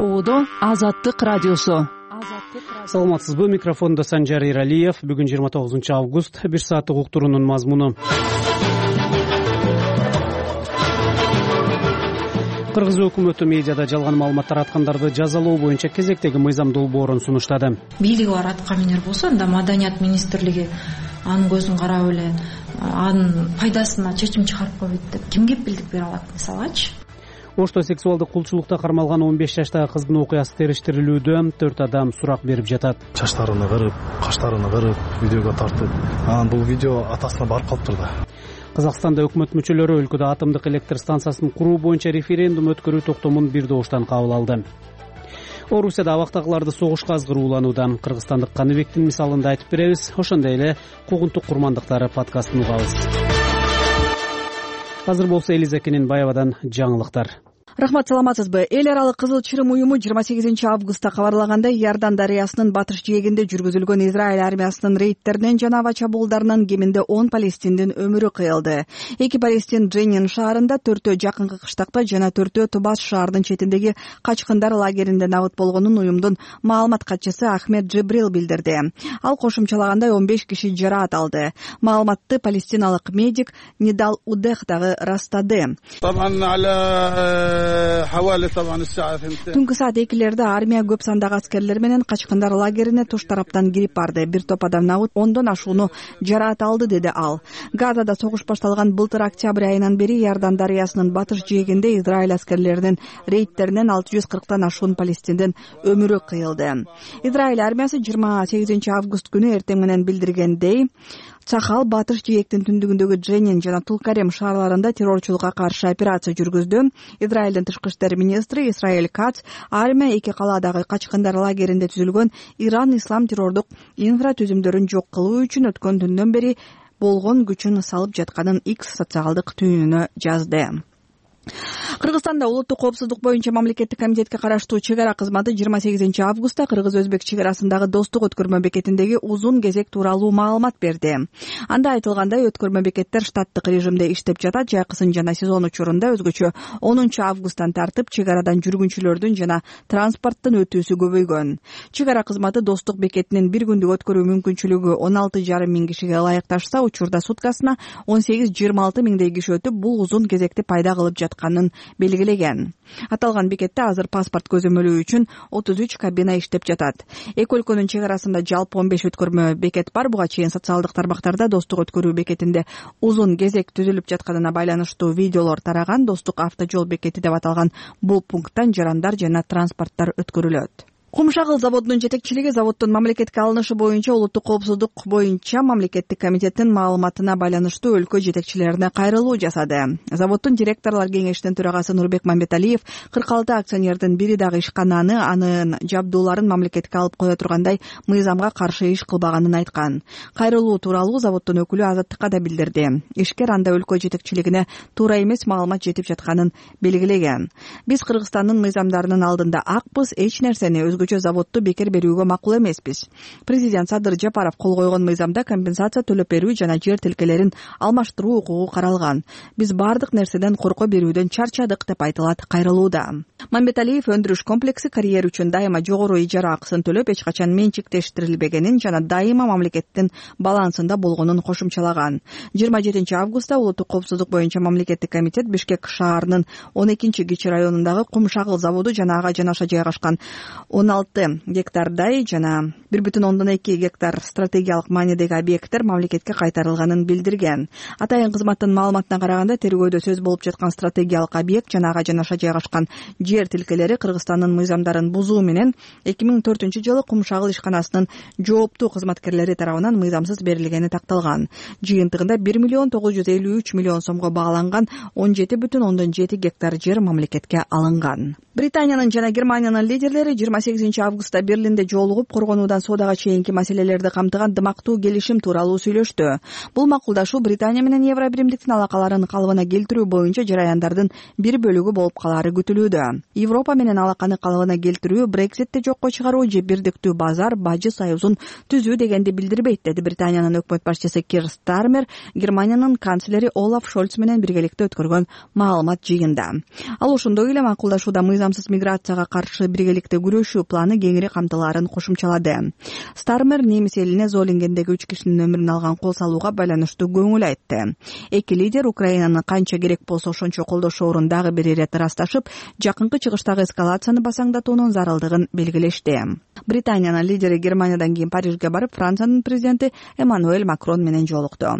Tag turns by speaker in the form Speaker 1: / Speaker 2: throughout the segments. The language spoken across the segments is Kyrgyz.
Speaker 1: Оодо Азаттык радиосу.
Speaker 2: Саламатсызбы, микрофондо Санжар Иралиев. Бүгүн 29 август, 1 сааттык уктуруунун мазмуну. Кыргыз өкмөтү медиада жалган маалымат тараткандарды жазалоо боюнча кезектеги мыйзам долбоорун сунуштады.
Speaker 3: Бийлиги бар аткаминер болсо, анда Маданият министрлиги анын көзүн карап эле анын пайдасына чечим чыгарып койбойт деп ким кепилдик бере алат, мисалычы?
Speaker 2: Ошто сексуалдык кулчулукта кармалган 15 жаштагы кыздын окуясы териштирилүүдө. 4 адам сурак берип жатат.
Speaker 4: Чачтарыны кырып, каштарыны кырып, видеого тартып, анан бул видео атасына барып калыптыр да.
Speaker 2: Казакстанда өкмөт мүчөлөрү өлкөдө атомдук электр станциясын куруу боюнча референдум өткөрүү токтомун бир добуштан кабыл алды. Орусияда абактагыларды согушка азгырууланууда. Кыргызстандык Каныбектин мисалында айтып беребиз. Ошондой эле куугунтук курмандыктары подкастын угабыз. Азыр болсо Элизакенин Баябадан жаңылыктар.
Speaker 1: Рахмат, саламатсызбы? Эл аралык Кызыл Чырым уюму 28 августта кабарлагандай, Иордан дарыясынын батыш жээгинде жүргүзүлгөн Израиль армиясынын рейдтеринен жана аба чабуулдарынан кеминде 10 палестиндин өмүрү кыйылды. 2 палестин Дженин шаарында, 4-өө жакынкы кыштакта жана 4-өө Тубас шаарынын четиндеги качкындар лагеринде набыт болгонун уюмдун маалымат катчысы Ахмед Джибрил билдирди. Ал кошумчалагандай 15 киши жараат алды. Маалыматты палестиналык медик Нидал Удех дагы растады. Түнкү саат 2-лерде армия көп сандагы аскерлер менен качкындар лагерине туш тараптан кирип барды. Бир топ адам набыт 10дон ашууну жараат алды, деди ал. Газада согуш башталган былтыр октябрь айынан бери Иордан дарыясынын батыш жээгинде Израиль аскерлеринин рейдтеринен 640тан ашуун палестиндин өмүрү кыйылды. Израиль армиясы 28 август күнү эртең менен билдиргендей, Цахал батыш жээктин түндүгүндөгү Дженин жана Тулкарем шаарларында террорчулукка каршы операция жүргүздү. Израилдин тышкы иштер министри Исраэль Кац армия 2 калаадагы качкындар лагеринде түзүлгөн Иран ислам террордук инфратүзүмдөрүн жок кылуу үчүн өткөн түндөн бери болгон күчүн салып жатканын X социалдык түйүнүнө жазды. Кыргызстанда улуттук коопсуздук боюнча мамлекеттик комитетке караштуу чек ара кызматы 28 августта кыргыз-өзбек чек арасындагы достук өткөрмө бекетиндеги узун кезек тууралуу маалымат берди. Анда айтылгандай, өткөрмө бекеттер штаттык режимде иштеп жатат. Жайкысын жана сезон учурунда өзгөчө 10 августтан тартып чек арадан жүргүнчүлөрдүн жана транспорттун өтүүсү көбөйгөн. Чек ара кызматы достук бекетинин бир күндүк өткөрүү мүмкүнчүлүгү 16,5 миң кишиге ылайыкташса, учурда суткасына 18-26 миңдей киши өтүп, бул узун кезекти пайда кылып жатканын белгилеген. Аталган бекетте азыр паспорт көзөмөлөө үчүн 33 кабина иштеп жатат. Эки өлкөнүн чек арасында жалпы 15 өткөрмө бекет бар. Буга чейин социалдык тармактарда достук өткөрүү бекетинде узун кезек түзүлүп жатканына байланыштуу видеолор тараган. Достук автожол бекети деп аталган бул пункттан жарандар жана транспорттор өткөрүлөт. Кумшагыл заводунун жетекчилиги заводдун мамлекетке алынышы боюнча улуттук коопсуздук боюнча мамлекеттик комитеттин маалыматына байланыштуу өлкө жетекчилерине кайрылуу жасады. Заводдун директорлор кеңешинин төрагасы Нурбек Мамбеталиев 46 акционердин бири дагы ишкананы, анын жабдууларын мамлекетке алып кое тургандай мыйзамга каршы иш кылбаганын айткан. Кайрылуу тууралуу заводдун өкүлү Азаттыкка да билдирди. Ишкер анда өлкө жетекчилигине туура эмес маалымат жетип жатканын белгилеген. Биз Кыргызстандын мыйзамдарынын алдында акпыз, эч нерсени өзгөчө заводду бекер берүүгө макул эмеспиз. Президент Садыр Жапаров кол койгон мыйзамда компенсация төлөп берүү жана жер тилкелерин алмаштыруу укугу каралган. Биз бардык нерседен корко берүүдөн чарчадык, деп айтылат кайрылууда. Мамбеталиев өндүрүш комплекси карьер үчүн дайыма жогору ижара акысын төлөп, эч качан менчиктештирилбегенин жана дайыма мамлекеттин балансында болгонун кошумчалаган. 27 августта улуттук коопсуздук боюнча мамлекеттик комитет Бишкек шаарынын 12-Кичи районундагы Кумшагыл заводу жана ага жанаша жайгашкан 16 гектардай жана 1,2 гектар стратегиялык маанидеги объекттер мамлекетке кайтарылганын билдирген. Атайын кызматтын маалыматына караганда, тергөөдө сөз болуп жаткан стратегиялык объект жана ага жанаша жайгашкан жер тилкелери Кыргызстандын мыйзамдарын бузуу менен 2004-жылы Кумшагыл ишканасынын жооптуу кызматкерлери тарабынан мыйзамсыз берилгени такталган. Жыйынтыгында 1,953 миллион сомго бааланган 17,7 гектар жер мамлекетке алынган. Британиянын жана Германиянын лидерлери 28 28-августта Берлинде жолугуп, коргонуудан соодага чейинки маселелерди камтыган дымактуу келишим тууралуу сүйлөштү. Бул макулдашуу Британия менен Евро биримдиктин алакаларын калыбына келтирүү боюнча жараяндардын бир бөлүгү болуп калаары күтүлүүдө. Европа менен алаканы калыбына келтирүү, Брекситти жокко чыгаруу же бирдиктүү базар, бажы союзун түзүү дегенди билдирбейт, деди Британиянын өкмөт башчысы Кир Стармер Германиянын канцлери Олаф Шольц менен биргеликте өткөргөн маалымат жыйында. Ал ошондой эле макулдашууда мыйзамсыз миграцияга каршы биргеликте күрөшүү планы кеңири камтылаарын кошумчалады. Стармер немис элине Золингендеги 3 кишинин өмүрүн алган кол салууга байланыштуу көңүл айтты. Эки лидер Украинаны канча керек болсо ошончо колдошоорун дагы бир ирет ырасташып, жакынкы чыгыштагы эскалацияны басаңдатуунун зарылдыгын белгилешти. Британиянын лидери Германиядан кийин Парижге барып, Франциянын президенти Эммануэль Макрон менен жолукту.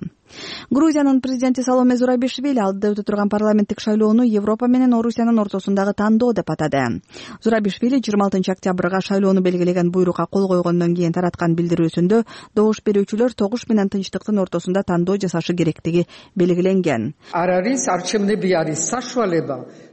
Speaker 1: Грузиянын президенти Саломе Зурабишвили алдыда өтө турган парламенттик шайлоону Европа менен Орусиянын ортосундагы тандоо деп атады. Зурабишвили 26 октябрга шайлоону белгилеген буйрукка кол койгондон кийин тараткан билдирүүсүндө добуш берүүчүлөр тогуш менен тынчтыктын ортосунда тандоо жасашы керектиги белгиленген.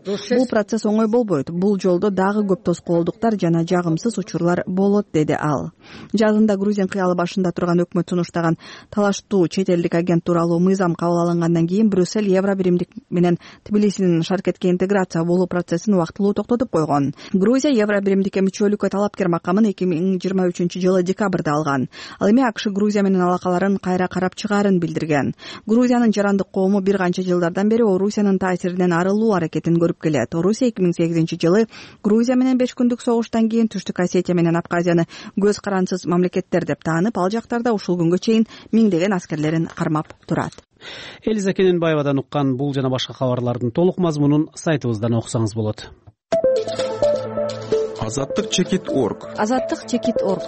Speaker 1: Бул процесс оңой болбойт. Бул жолдо дагы көп тоскоолдуктар жана жагымсыз учурлар болот, деди ал. Жазында Грузин кыялы башында турган өкмөт сунуштаган талаштуу чет элдик агент тууралуу мыйзам кабыл алынгандан кийин Брюссель Евро биримдик менен Тбилисинин Шаркетке интеграция болуу процессин убактылуу токтотуп койгон. Грузия Евро биримдикке мүчөлүккө талапкер макамын 2023-жылы декабрда алган. Ал эми АКШ Грузия менен алакаларын кайра карап чыгаарын билдирген. Грузиянын жарандык коому бир канча жылдардан бери Орусиянын таасиринен арылуу аракетин көрүп келет. Орусия 2008-жылы Грузия менен 5 күндүк согуштан кийин Түштүк Осетия менен Абхазияны көз карансыз мамлекеттер деп таанып, ал жактарда ушул күнгө чейин миңдеген аскерлерин кармап турат.
Speaker 2: Элиза Кененбаевадан уккан бул жана башка кабарлардын толук мазмунун сайтыбыздан окусаңыз болот.
Speaker 5: Азаттык-чекит.org.
Speaker 1: Азаттык-чекит.org.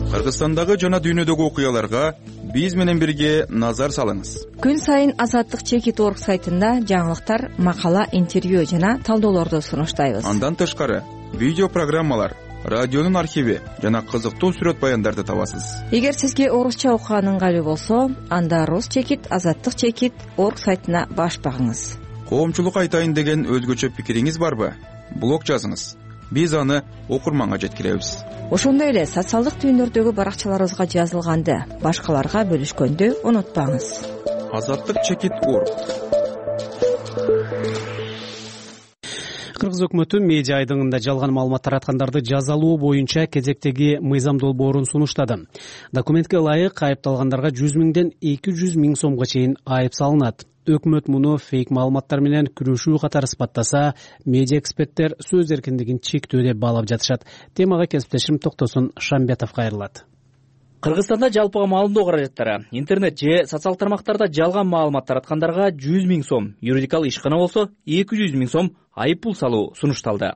Speaker 5: Кыргызстандагы жана дүйнөдөгү окуяларга биз менен бирге назар салыңыз.
Speaker 6: Күн сайын Азаттык-чекит.org сайтында жаңылыктар, макала, интервью жана талдоолорду сунуштайбыз.
Speaker 5: Андан тышкары видео программалар, радионун архиви жана кызыктуу сүрөт баяндарды табасыз.
Speaker 6: Эгер сизге орусча окуган ыңгайлуу болсо, анда Рус-чекит, Азаттык-чекит.org сайтына баш багыңыз.
Speaker 5: Коомчулук айтайын деген өзгөчө пикириңиз барбы? Блог жазыңыз. Биз аны окурманга жеткиребиз.
Speaker 6: Ошондой эле социалдык түйүндөрдөгү баракчаларыбызга жазылганды башкаларга бөлүшкөндү унутпаңыз.
Speaker 5: Азаттык-чекит.org.
Speaker 2: Кыргыз өкмөтү медиа айдыңында жалган маалымат тараткандарды жазалоо боюнча кезектеги мыйзам долбоорун сунуштады. Документке ылайык айыпталгандарга 100 миңден 200 миң сомго чейин айып салынат. Өкмөт муну фейк маалыматтар менен күрөшүү катары сыпаттаса, медиа эксперттер сөз эркиндигин чектөө деп баалап жатышат. Темага кесиптешим Токтосун Шамбетов кайрылат.
Speaker 7: Кыргызстанда жалпыга маалымдоо каражаттары интернет же социалдык тармактарда жалган маалымат тараткандарга 100 миң сом, юридикалык ишкана болсо 200 миң сом айып пул салуу сунушталды.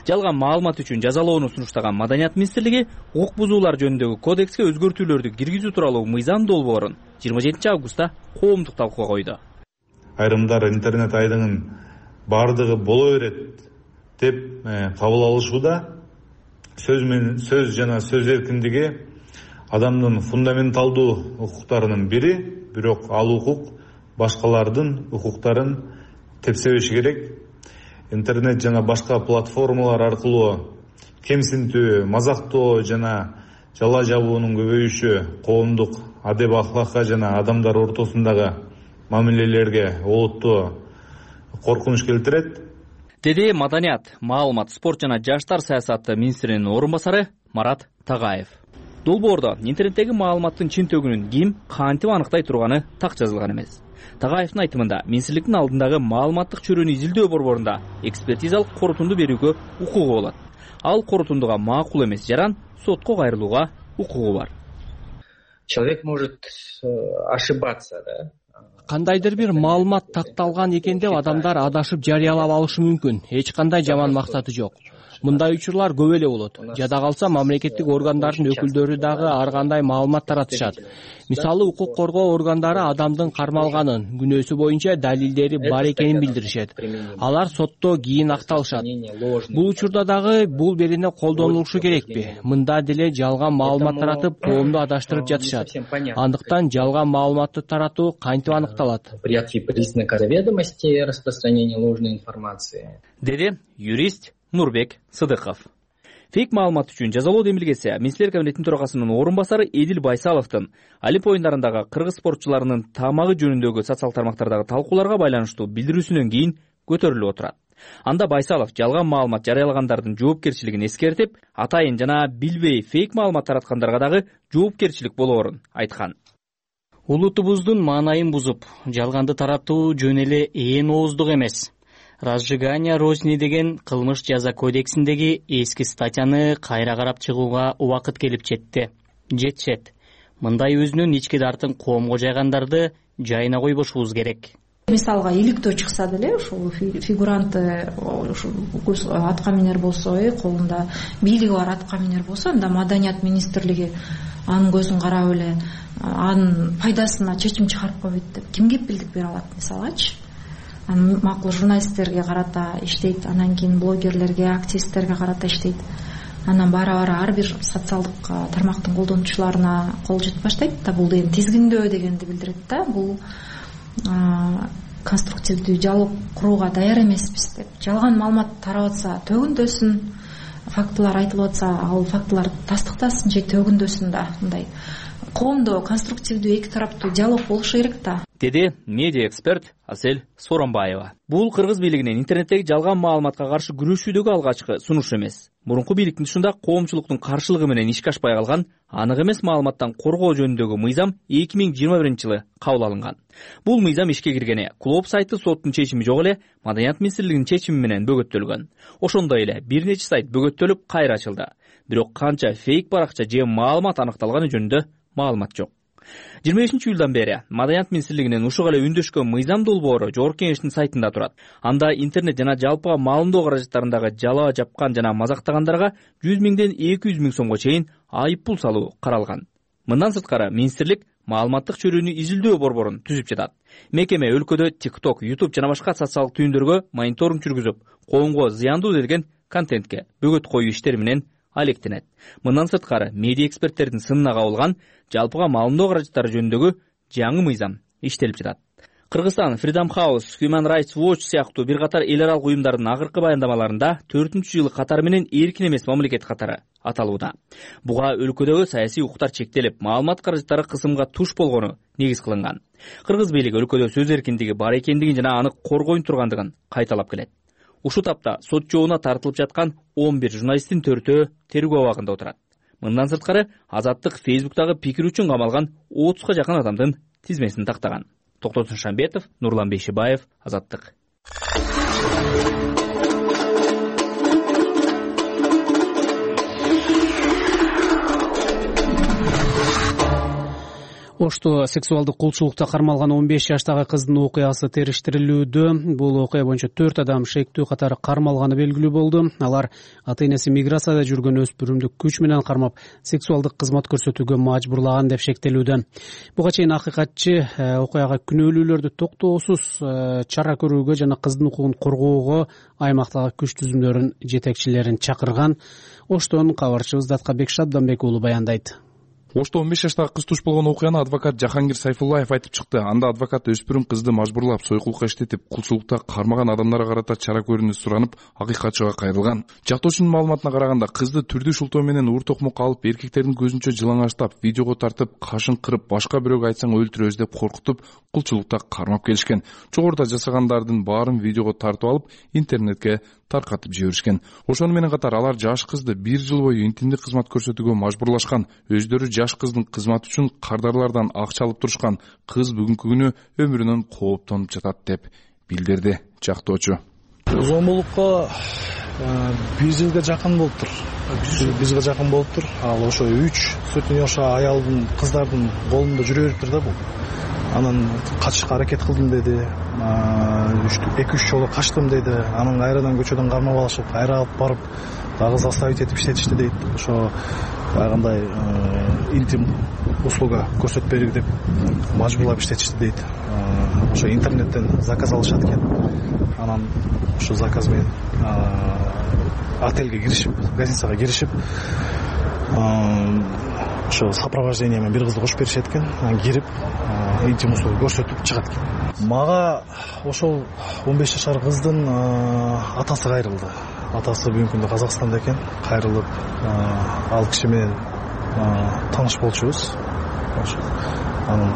Speaker 7: Жалган маалымат үчүн жазалоону сунуштаган Маданият министрлиги укук бузуулар жөнүндөгү кодекске өзгөртүүлөрдү киргизүү тууралуу мыйзам долбоорун 27-августта коомдук талкууга койду.
Speaker 8: Айрымдар интернет айдыңын бардыгы боло берет деп кабыл алышууда сөз жана сөз эркиндиги адамдын фундаменталдуу укуктарынын бири, бирок ал укук башкалардын укуктарын тепсебеши керек. Интернет жана башка платформалар аркылуу кемсинтүү, мазактоо жана жала жабуунун көбөйүшү коомдук адеп ахлакка жана адамдар ортосундагы мамилелерге олуттуу коркунуч келтирет,
Speaker 7: деди Маданият, маалымат, спорт жана жаштар саясаты министринин орун басары Марат Тагаев. Долбоордо интернеттеги маалыматтын чын төгүнүн ким, кантип аныктай турганы так жазылган эмес. Тагаевдин айтымында министрликтин алдындагы маалыматтык чөйрөнү изилдөө борборунда экспертизалык корутунду берүүгө укугу болот. Ал корутундуга макул эмес жаран сотко кайрылууга укугу бар.
Speaker 9: Человек может ошибаться, да?
Speaker 10: Кандайдыр бир маалымат такталган экен деп адамдар адашып жарыялап алышы мүмкүн. Эч кандай жаман максаты жок. Мындай учурлар көп эле болот. Жада калса мамлекеттик органдардын өкүлдөрү дагы ар кандай маалымат таратышат. Мисалы, укук коргоо органдары адамдын кармалганын, күнөөсү боюнча далилдери бар экенин билдиришет. Алар сотто кийин акталышат. Бул учурда дагы бул берене колдонулушу керекпи? Мында деле жалган маалымат таратып, коомду адаштырып жатышат. Андыктан жалган маалыматты таратуу кантип аныкталат?
Speaker 9: Признака заведомости распространения ложной информации.
Speaker 7: Деди юрист Нурбек Сыдыков. Фейк маалымат үчүн жазалоо демилгеси Министрлер кабинетинин төрагасынын орун басары Эдил Байсаловдун Олимп оюндарындагы кыргыз спортчуларынын тамагы жөнүндөгү социалдык тармактардагы талкууларга байланыштуу билдирүүсүнөн кийин көтөрүлүп отурат. Анда Байсалов жалган маалымат жарыялагандардын жоопкерчилигин эскертип, атайын жана билбей фейк маалымат тараткандарга дагы жоопкерчилик болоорун айткан.
Speaker 11: Улутубуздун маанайын бузуп, жалганды таратуу жөн эле ээн ооздук эмес. Разжигание розни деген кылмыш жаза кодексиндеги эски статьяны кайра карап чыгууга убакыт келип жетишет. Мындай өзүнүн ички дартын коомго жайгандарды жайына койбошубуз керек.
Speaker 3: Мисалга иликтөө чыкса деле ушул фигуранты атка минер болсо, колунда бийлиги бар атка минер болсо, анда Маданият министрлиги анын көзүн карап эле анын пайдасына чечим чыгарып койбойт деп ким кепилдик бере алат мисалачы? Анан макул журналисттерге карата иштейт, анан кийин блогерлерге, активисттерге карата иштейт. Анан бара-бара ар бир социалдык тармактын колдонуучуларына кол жетип баштайт да, бул деген тизгиндөө дегенди билдирет да. Бул конструктивдүү диалог курууга даяр эмеспиз деп. Жалган маалымат тарап атса төгүндөсүн, фактылар айтылып атса ал фактылар тастыктасын же төгүндөсүн да. Мындай коомдо конструктивдүү эки тараптуу диалог болушу керек да.
Speaker 7: Деди медиа эксперт Асель Соронбаева. Бул кыргыз бийлигинин интернеттеги жалган маалыматка каршы күрөшүүдөгү алгачкы сунушу эмес. Мурунку бийликтин ушунда коомчулуктун каршылыгы менен ишке ашпай калган анык эмес маалыматтан коргоо жөнүндөгү мыйзам 2021-жылы кабыл алынган. Бул мыйзам ишке киргене клуб сайты соттун чечими жок эле Маданият министрлигинин чечими менен бөгөттөлгөн. Ошондой эле бир нече сайт бөгөттөлүп кайра ачылды. Бирок канча фейк баракча же маалымат аныкталганы жөнүндө маалымат жок. 25-июлдан бери Маданият министрлигинин ушуга эле үндөшкөн мыйзам долбоору Жогорку Кеңештин сайтында турат. Анда интернет жана жалпыга маалымдоо каражаттарындагы жалаа жапкан жана мазактагандарга 100 миңден 200 миң сомго чейин айып пул салуу каралган. Мындан сырткары министрлик маалыматтык чөрүүнү изилдөө борборун түзүп жатат. Мекеме өлкөдө TikTok, YouTube жана башка социалдык түйүндөргө мониторинг жүргүзүп, коомго зыяндуу делген контентке бөгөт коюу иштери менен алектенет. Мындан сырткары медиа эксперттердин сынына кабылган жалпыга маалымдоо каражаттары жөнүндөгү жаңы мыйзам иштелип жатат. Кыргызстан Freedom House, Human Rights Watch сыяктуу бир катар эл аралык уюмдардын акыркы баяндамаларында 4-жылы катары менен эркин эмес мамлекет катары аталууда. Буга өлкөдөгү саясий укуктар чектелип, маалымат каражаттары кысымга туш болгону негиз кылынган. Кыргыз бийлиги өлкөдө сөз эркиндиги бар экендигин жана аны коргой тургандыгын кайталап келет. Ушул тапта сот жообуна тартылып жаткан 11 журналисттин 4-өө тергөө абагында отурат. Мындан сырткары Азаттык Фейсбуктагы пикир үчүн камалган 30га жакын адамдын тизмесин тактаган. Токтосун Шамбетов, Нурлан Бейшибаев, Азаттык.
Speaker 2: Ошто сексуалдык кулчулукта кармалган 15 жаштагы кыздын окуясы териштирилүүдө. Бул окуя боюнча 4 адам шектүү катары кармалганы белгилүү болду. Алар ата-энеси миграцияда жүргөн өспүрүмдү күч менен кармап, сексуалдык кызмат көрсөтүүгө мажбурлаган деп шектелүүдө. Буга чейин акыйкатчы окуяга күнөөлүүлөрдү токтоосуз чара көрүүгө жана кыздын укугун коргоого аймактагы күч түзүмдөрүнүн жетекчилерин чакырган. Оштон кабарчыбыз Даткабек Шабданбек уулу баяндайт.
Speaker 12: Ошто 15 жаштагы кыз туш болгон окуяны адвокат Жахангир Сайфуллаев айтып чыкты. Анда адвокат өспүрүм кызды мажбурлап, сойкулукка иштетип, кулчулукта кармаган адамдарга карата чара көрүүнү суранып, акыйкатчыга кайрылган. Жактоочунун маалыматына караганда, кызды түрдүү шултоо менен уур токмокко алып, эркектердин көзүнчө жылаңачтап, видеого тартып, кашын кырып, башка бирөөгө айтсаң өлтүрөбүз деп коркутуп, кулчулукта кармап келишкен. Жогоруда жасагандардын баарын видеого тартып алып, интернетке таркатып жиберишкен. Ошону менен катар алар жаш кызды 1 жыл бою интимдик кызмат көрсөтүүгө мажбурлашкан. Өздөрү жаш кыздын кызматы үчүн кардарлардан акча алып турушкан. Кыз бүгүнкү күнү өмүрүнөн кооптонуп жатат деп билдирди жактоочу.
Speaker 4: Зомбулукка 1 жылга жакын болуптур. 1 жылга жакын болуптур. Ал ошо 3 сотни жаша аялдын, кыздардын колунда жүрө бериптир да бул. Анан качышка аракет кылдым деди. 2-3 жолу качтым деди. Анан кайрадан көчөдөн кармап алышып, кайра алып барып дагы заставить этип иштетишти дейт. Ошо кандай интим услуга көрсөтпөйлүк деп мажбурлап иштетишти дейт. Ошо интернеттен заказ алышат экен. Анан ошо заказ менен отельге киришип, гостиницага киришип, ошо сопровождение менен бир кызды кошуп беришет экен. Анан кирип интим услуга көрсөтүп чыгат экен. Мага ошол 15 жашар кыздын атасы кайрылды. Атасы бүгүнкү күндө Казакстанда экен. Кайрылып, ал киши менен тааныш болчубуз. Анан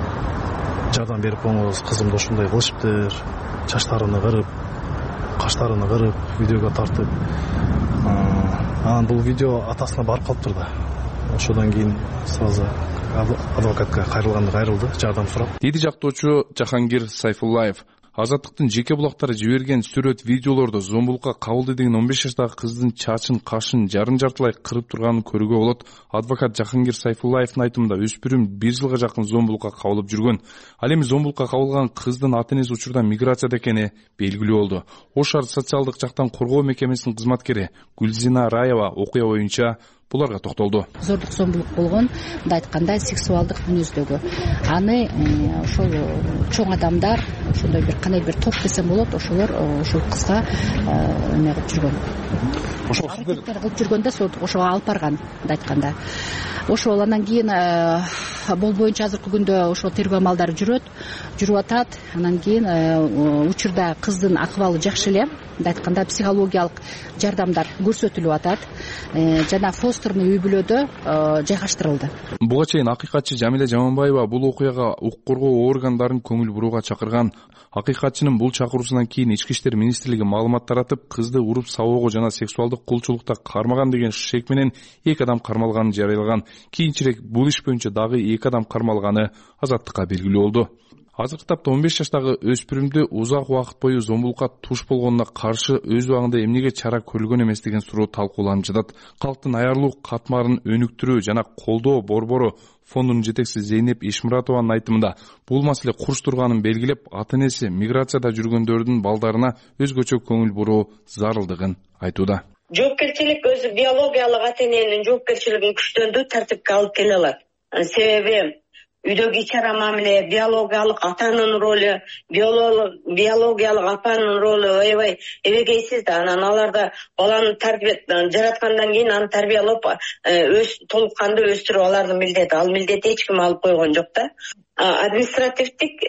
Speaker 4: жардам берип коңуз, кызымды ушундай кылышыптыр, чачтарыны кырып, каштарыны кырып, видеого тартып. Анан бул видео атасына барып калыптыр да. Ошодон кийин сразу адвокатка кайрылды, жардам сурап.
Speaker 12: Деди жактоочу Жахангир Сайфуллаев. Азаттыктын жеке булактары жиберген сүрөт видеолордо зомбулукка кабылды деген 15 жаштагы кыздын чачын, кашын жартылай кырып турганын көрүүгө болот. Адвокат Жахангир Сайфуллаевдин айтымында өспүрүм 1 жылга жакын зомбулукка кабылып жүргөн. Ал эми зомбулукка кабылган кыздын ата-энеси учурда миграцияда экени белгилүү болду. Ош шаар социалдык жактан коргоо мекемесинин кызматкери Гүлзина Раева окуя боюнча буларга токтолду.
Speaker 13: Зордук зомбулук болгон, мындай айтканда сексуалдык мүнөздөгү. Аны ошол чоң адамдар, ошондой бир кандай бир топ десем болот, ошолор ошол кызга эме кылып жүргөн. Ошол аракеттер кылып жүргөндө ошого алып барган, мындай айтканда. Ошол анан кийин бул боюнча азыркы күндө ошол тергөө амалдары жүрүп атат. Анан кийин учурда кыздын акыбалы жакшы эле, мындай айтканда психологиялык жардамдар көрсөтүлүп атат. Жана фостерный үй бүлөдө жайгаштырылды.
Speaker 12: Буга чейин акыйкатчы Жамиле Жаманбаева бул окуяга укук коргоо органдарын көңүл бурууга чакырган. Акыйкатчынын бул чакыруусунан кийин Ички иштер министрлиги маалымат таратып, кызды уруп сабоого жана сексуалдык кулчулукта кармаган деген шек менен 2 адам кармалганын жарыялаган. Кийинчерээк бул иш боюнча дагы 2 адам кармалганы Азаттыкка белгилүү болду. Азыркы тапта 15 жаштагы өспүрүмдү узак убакыт бою зомбулукка туш болгонуна каршы өз убагында эмнеге чара көрүлгөн эмес деген суроо талкууланып жатат. Калктын аярлуу катмарын өнүктүрүү жана колдоо борбору фондунун жетекчиси Зейнеп Ишмуратованын айтымында бул маселе курч турганын белгилеп, ата-энеси миграцияда жүргөндөрдүн балдарына өзгөчө көңүл буруу зарылдыгын айтууда.
Speaker 14: Жоопкерчилик өзү биологиялык ата-эненин жоопкерчилигин күчтөндүрүү тартипке алып келе алат. Себеби үйдөгү ич-чара мамиле, биологиялык атанын ролу, биологиялык апанын ролу аябай эбегейсиз да. Анан аларда баланы жараткандан кийин аны тарбиялап, толук кандуу өстүрүп алардын милдети. Ал милдетти эч ким алып койгон жок да. Административдик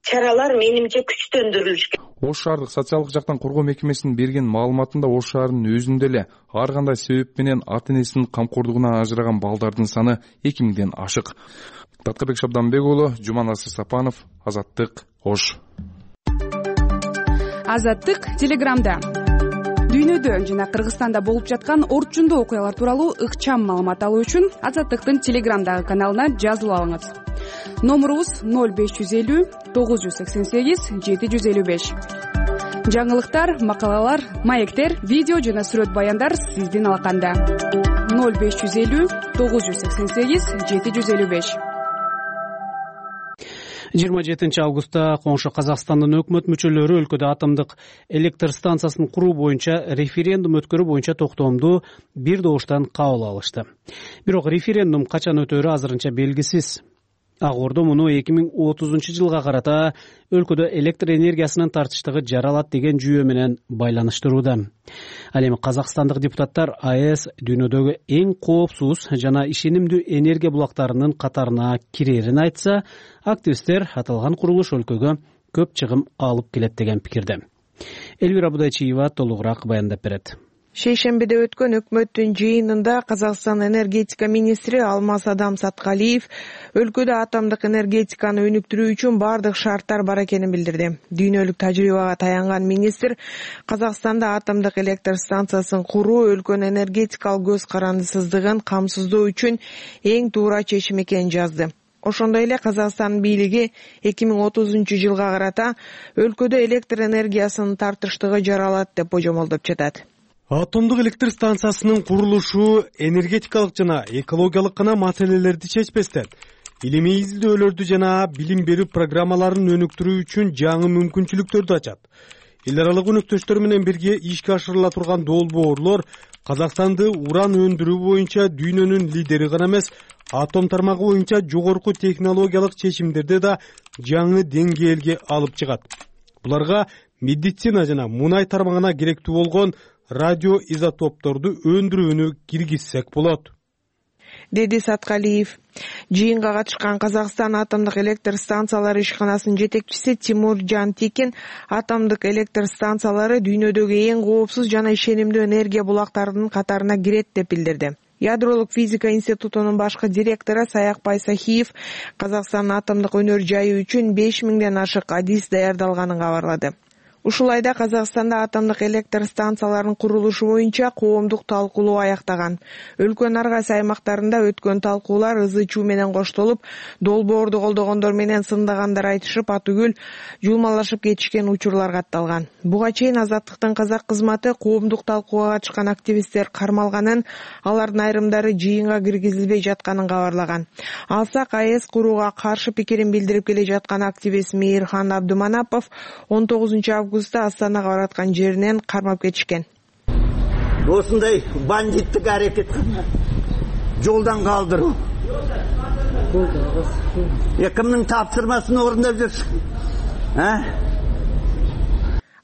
Speaker 14: чаралар менимче күчтөндүрүлүш керек.
Speaker 12: Ош шаардык социалдык жактан коргоо мекемесинин берген маалыматында Ош шаарынын өзүндө эле ар кандай себеп менен ата-энесинин камкордугунан ажыраган балдардын саны 2000ден ашык. Таткарбек Шабданбек уулу, Жуманасыр Сапанов, Азаттык, Ош.
Speaker 15: Азаттык Телеграмда. Дүйнөдө жана Кыргызстанда болуп жаткан орчундуу окуялар тууралуу ыкчам маалымат алуу үчүн Азаттыктын Телеграмдагы каналына жазылып алыңыз. Номурубуз 0550 988 755. Жаңылыктар, макалалар, маектер, видео жана сүрөт баяндар сиздин алаканда. 0550 988 755.
Speaker 2: 27 августта коңшу Казакстандын өкмөт мүчөлөрү өлкөдө атомдук электр станциясын куруу боюнча референдум өткөрүү боюнча токтоомду бир добуштан кабыл алышты. Бирок референдум качан өтөөрү азырынча белгисиз. Ак Ордо муну 2030 жылга карата өлкөдө электр энергиясынын тартыштыгы жаралат деген жүйө менен байланыштырууда. Ал эми казакстандык депутаттар АЭС дүйнөдөгү эң коопсуз жана ишенимдүү энергия булактарынын катарына кирерин айтса, активисттер аталган курулуш өлкөгө көп чыгым алып келет деген пикирде. Элвира Будайчиева толугураак баяндап берет.
Speaker 16: Шейшембиде өткөн өкмөттүн жыйынында Казакстан энергетика министри Алмаз Адам Саткалиев өлкөдө атомдук энергетиканы өнүктүрүү үчүн бардык шарттар бар экенин билдирди. Дүйнөлүк тажрыйбага таянган министр Казакстанда атомдук электр станциясын куруу өлкөнүн энергетикалык көз карандысыздыгын камсыздоо үчүн эң туура чечим экенин жазды. Ошондой эле Казакстан бийлиги 2030 жылга карата өлкөдө электр энергиясынын тартыштыгы жаралат деп божомолдоп жатат.
Speaker 17: Атомдук электр станциясынын курулушу энергетикалык жана экологиялык гана маселелерди чечпестен, илимий изилдөөлөрдү жана билим берүү программаларын өнүктүрүү үчүн жаңы мүмкүнчүлүктөрдү ачат. Эл аралык өнөктөштөр менен бирге ишке ашырыла турган долбоорлор Казакстанды уран өндүрүү боюнча дүйнөнүн лидери гана эмес, атом тармагы боюнча жогорку технологиялык чечимдерди да жаңы деңгээлге алып чыгат. Буларга медицина жана мунай тармагына керектүү болгон радиоизотопторду өндүрүүнү киргизсек болот,
Speaker 16: деди Саткалиев. Жыйынга катышкан Казакстан атомдук электр станциялары ишканасынын жетекчиси Тимур Жантикин атомдук электр станциялары дүйнөдөгү эң коопсуз жана ишенимдүү энергия булактарынын катарына кирет деп билдирди. Ядролук физика институтунун башкы директору Саякбай Сахиев Казакстандын атомдук өнөр жайы үчүн 5000ден ашык адис даярдалганын кабарлады. Ушулай да Казакстанда атомдук электр станцияларынын курулушу боюнча коомдук талкуулоо аяктаган. Өлкөнүн ар кайсы аймактарында өткөн талкуулар ызы-чуу менен коштолуп, долбоорду колдогондор менен сындагандар айтышып, атүгүл жулмалашып кетишкен учурлар катталган. Буга чейин Азаттыктын казак кызматы коомдук талкууга катышкан активисттер кармалганын, алардын айрымдары жыйынга киргизилбей жатканын кабарлаган. Алсак, АЭС курууга каршы пикирин билдирип келе жаткан активист Мейирхан Абдуманапов 19 августта Астанага бараткан жеринен кармап кетишкен.
Speaker 18: Осындай бандиттик аракет жолдан калдыруу. Кимдин тапсырмасын орундап жүрсүң?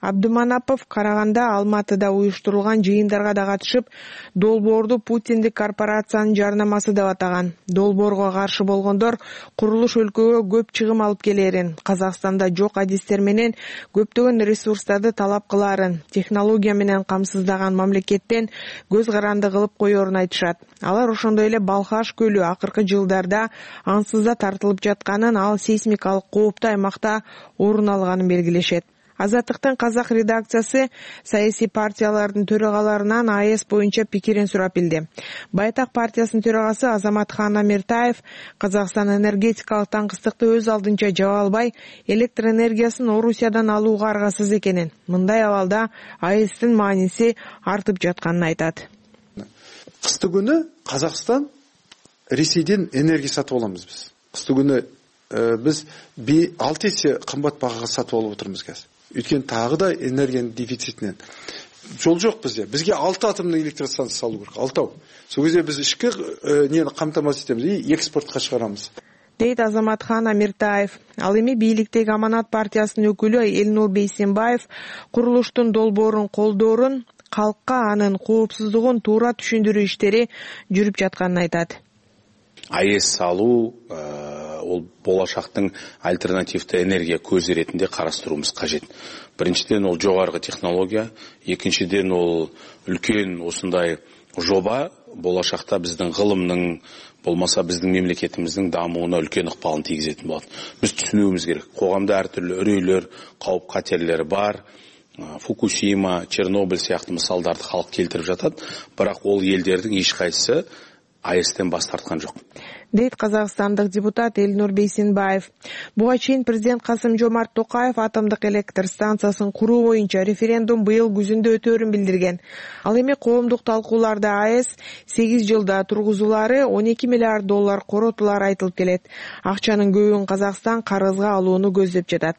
Speaker 16: Абдуманапов Караганда, Алматыда уюштурулган жыйындарга да катышып, долбоорду Путиндик корпорациянын жарнамасы деп атаган. Долбоорго каршы болгондор курулуш өлкөгө көп чыгым алып келерин, Казакстанда жок адистер менен көптөгөн ресурстарды талап кылаарын, технология менен камсыздаган мамлекеттен көз каранды кылып коерун айтышат. Алар ошондой эле Балхаш көлү акыркы жылдарда ансызда тартылып жатканын, ал сейсмикалык кооптуу аймакта орун алганын белгилешет. Азаттыктын казак редакциясы саясий партиялардын төрагаларынан АЭС боюнча пикирин сурап билди. Байтак партиясынын төрагасы Азаматхан Амиртаев Казакстан энергетикалык таңкыстыкты өз алдынча жаба албай, электр энергиясын Орусиядан алууга аргасыз экенин, мындай абалда АЭСтин мааниси артып жатканын айтат.
Speaker 19: Кысты күнү Казакстан Ресейден энергия сатып аламыз биз. Кысты күнү биз 6 эсе кымбат багага сатып алып отурмуз қазір. Өйткені тағы да энергияның дефицитінен. Жол жоқ бізде. Бізге 6 атомный электростанция салу керек. 6. Сол кезде біз ішкі нені қамтамасыз етеміз и экспортқа шығарамыз.
Speaker 16: Дейт Азаматхан Амиртаев. Ал эми бийликтеги Аманат партиясынын өкүлү Элнур Бейсенбаев курулуштун долбоорун колдоорун, калкка анын коопсуздугун туура түшүндүрүү иштери жүрүп жатканын айтат.
Speaker 20: АЭС салуу ол болашактын альтернативдүү энергия көзү ретинде карастырууубуз кажет. Биринчиден ол жогорку технология, экинчиден ол үлкөн осундай жоба болашакта биздин гылымдын, болмаса биздин мемлекетибиздин дамууна үлкөн ыкпалын тийгизетін болот. Биз түшүнүүбүз керек. Коомдо ар түрлүү өрөйлөр, кауп катерлер бар. Фукусима, Чернобыль сыяктуу мисалдарды халк келтирип жатат, бирок ол элдердин эч кайсысы АЭСтен бас тарткан жок.
Speaker 16: Дейт казакстандык депутат Элнур Бейсенбаев. Буга чейин президент Касым-Жомарт Токаев атомдук электр станциясын куруу боюнча референдум быйыл күзүндө өтөөрүн билдирген. Ал эми коомдук талкууларда АЭС 8 жылда тургузулары $12 миллиард коротулары айтылып келет. Акчанын көбүн Казакстан карызга алууну көздөп жатат.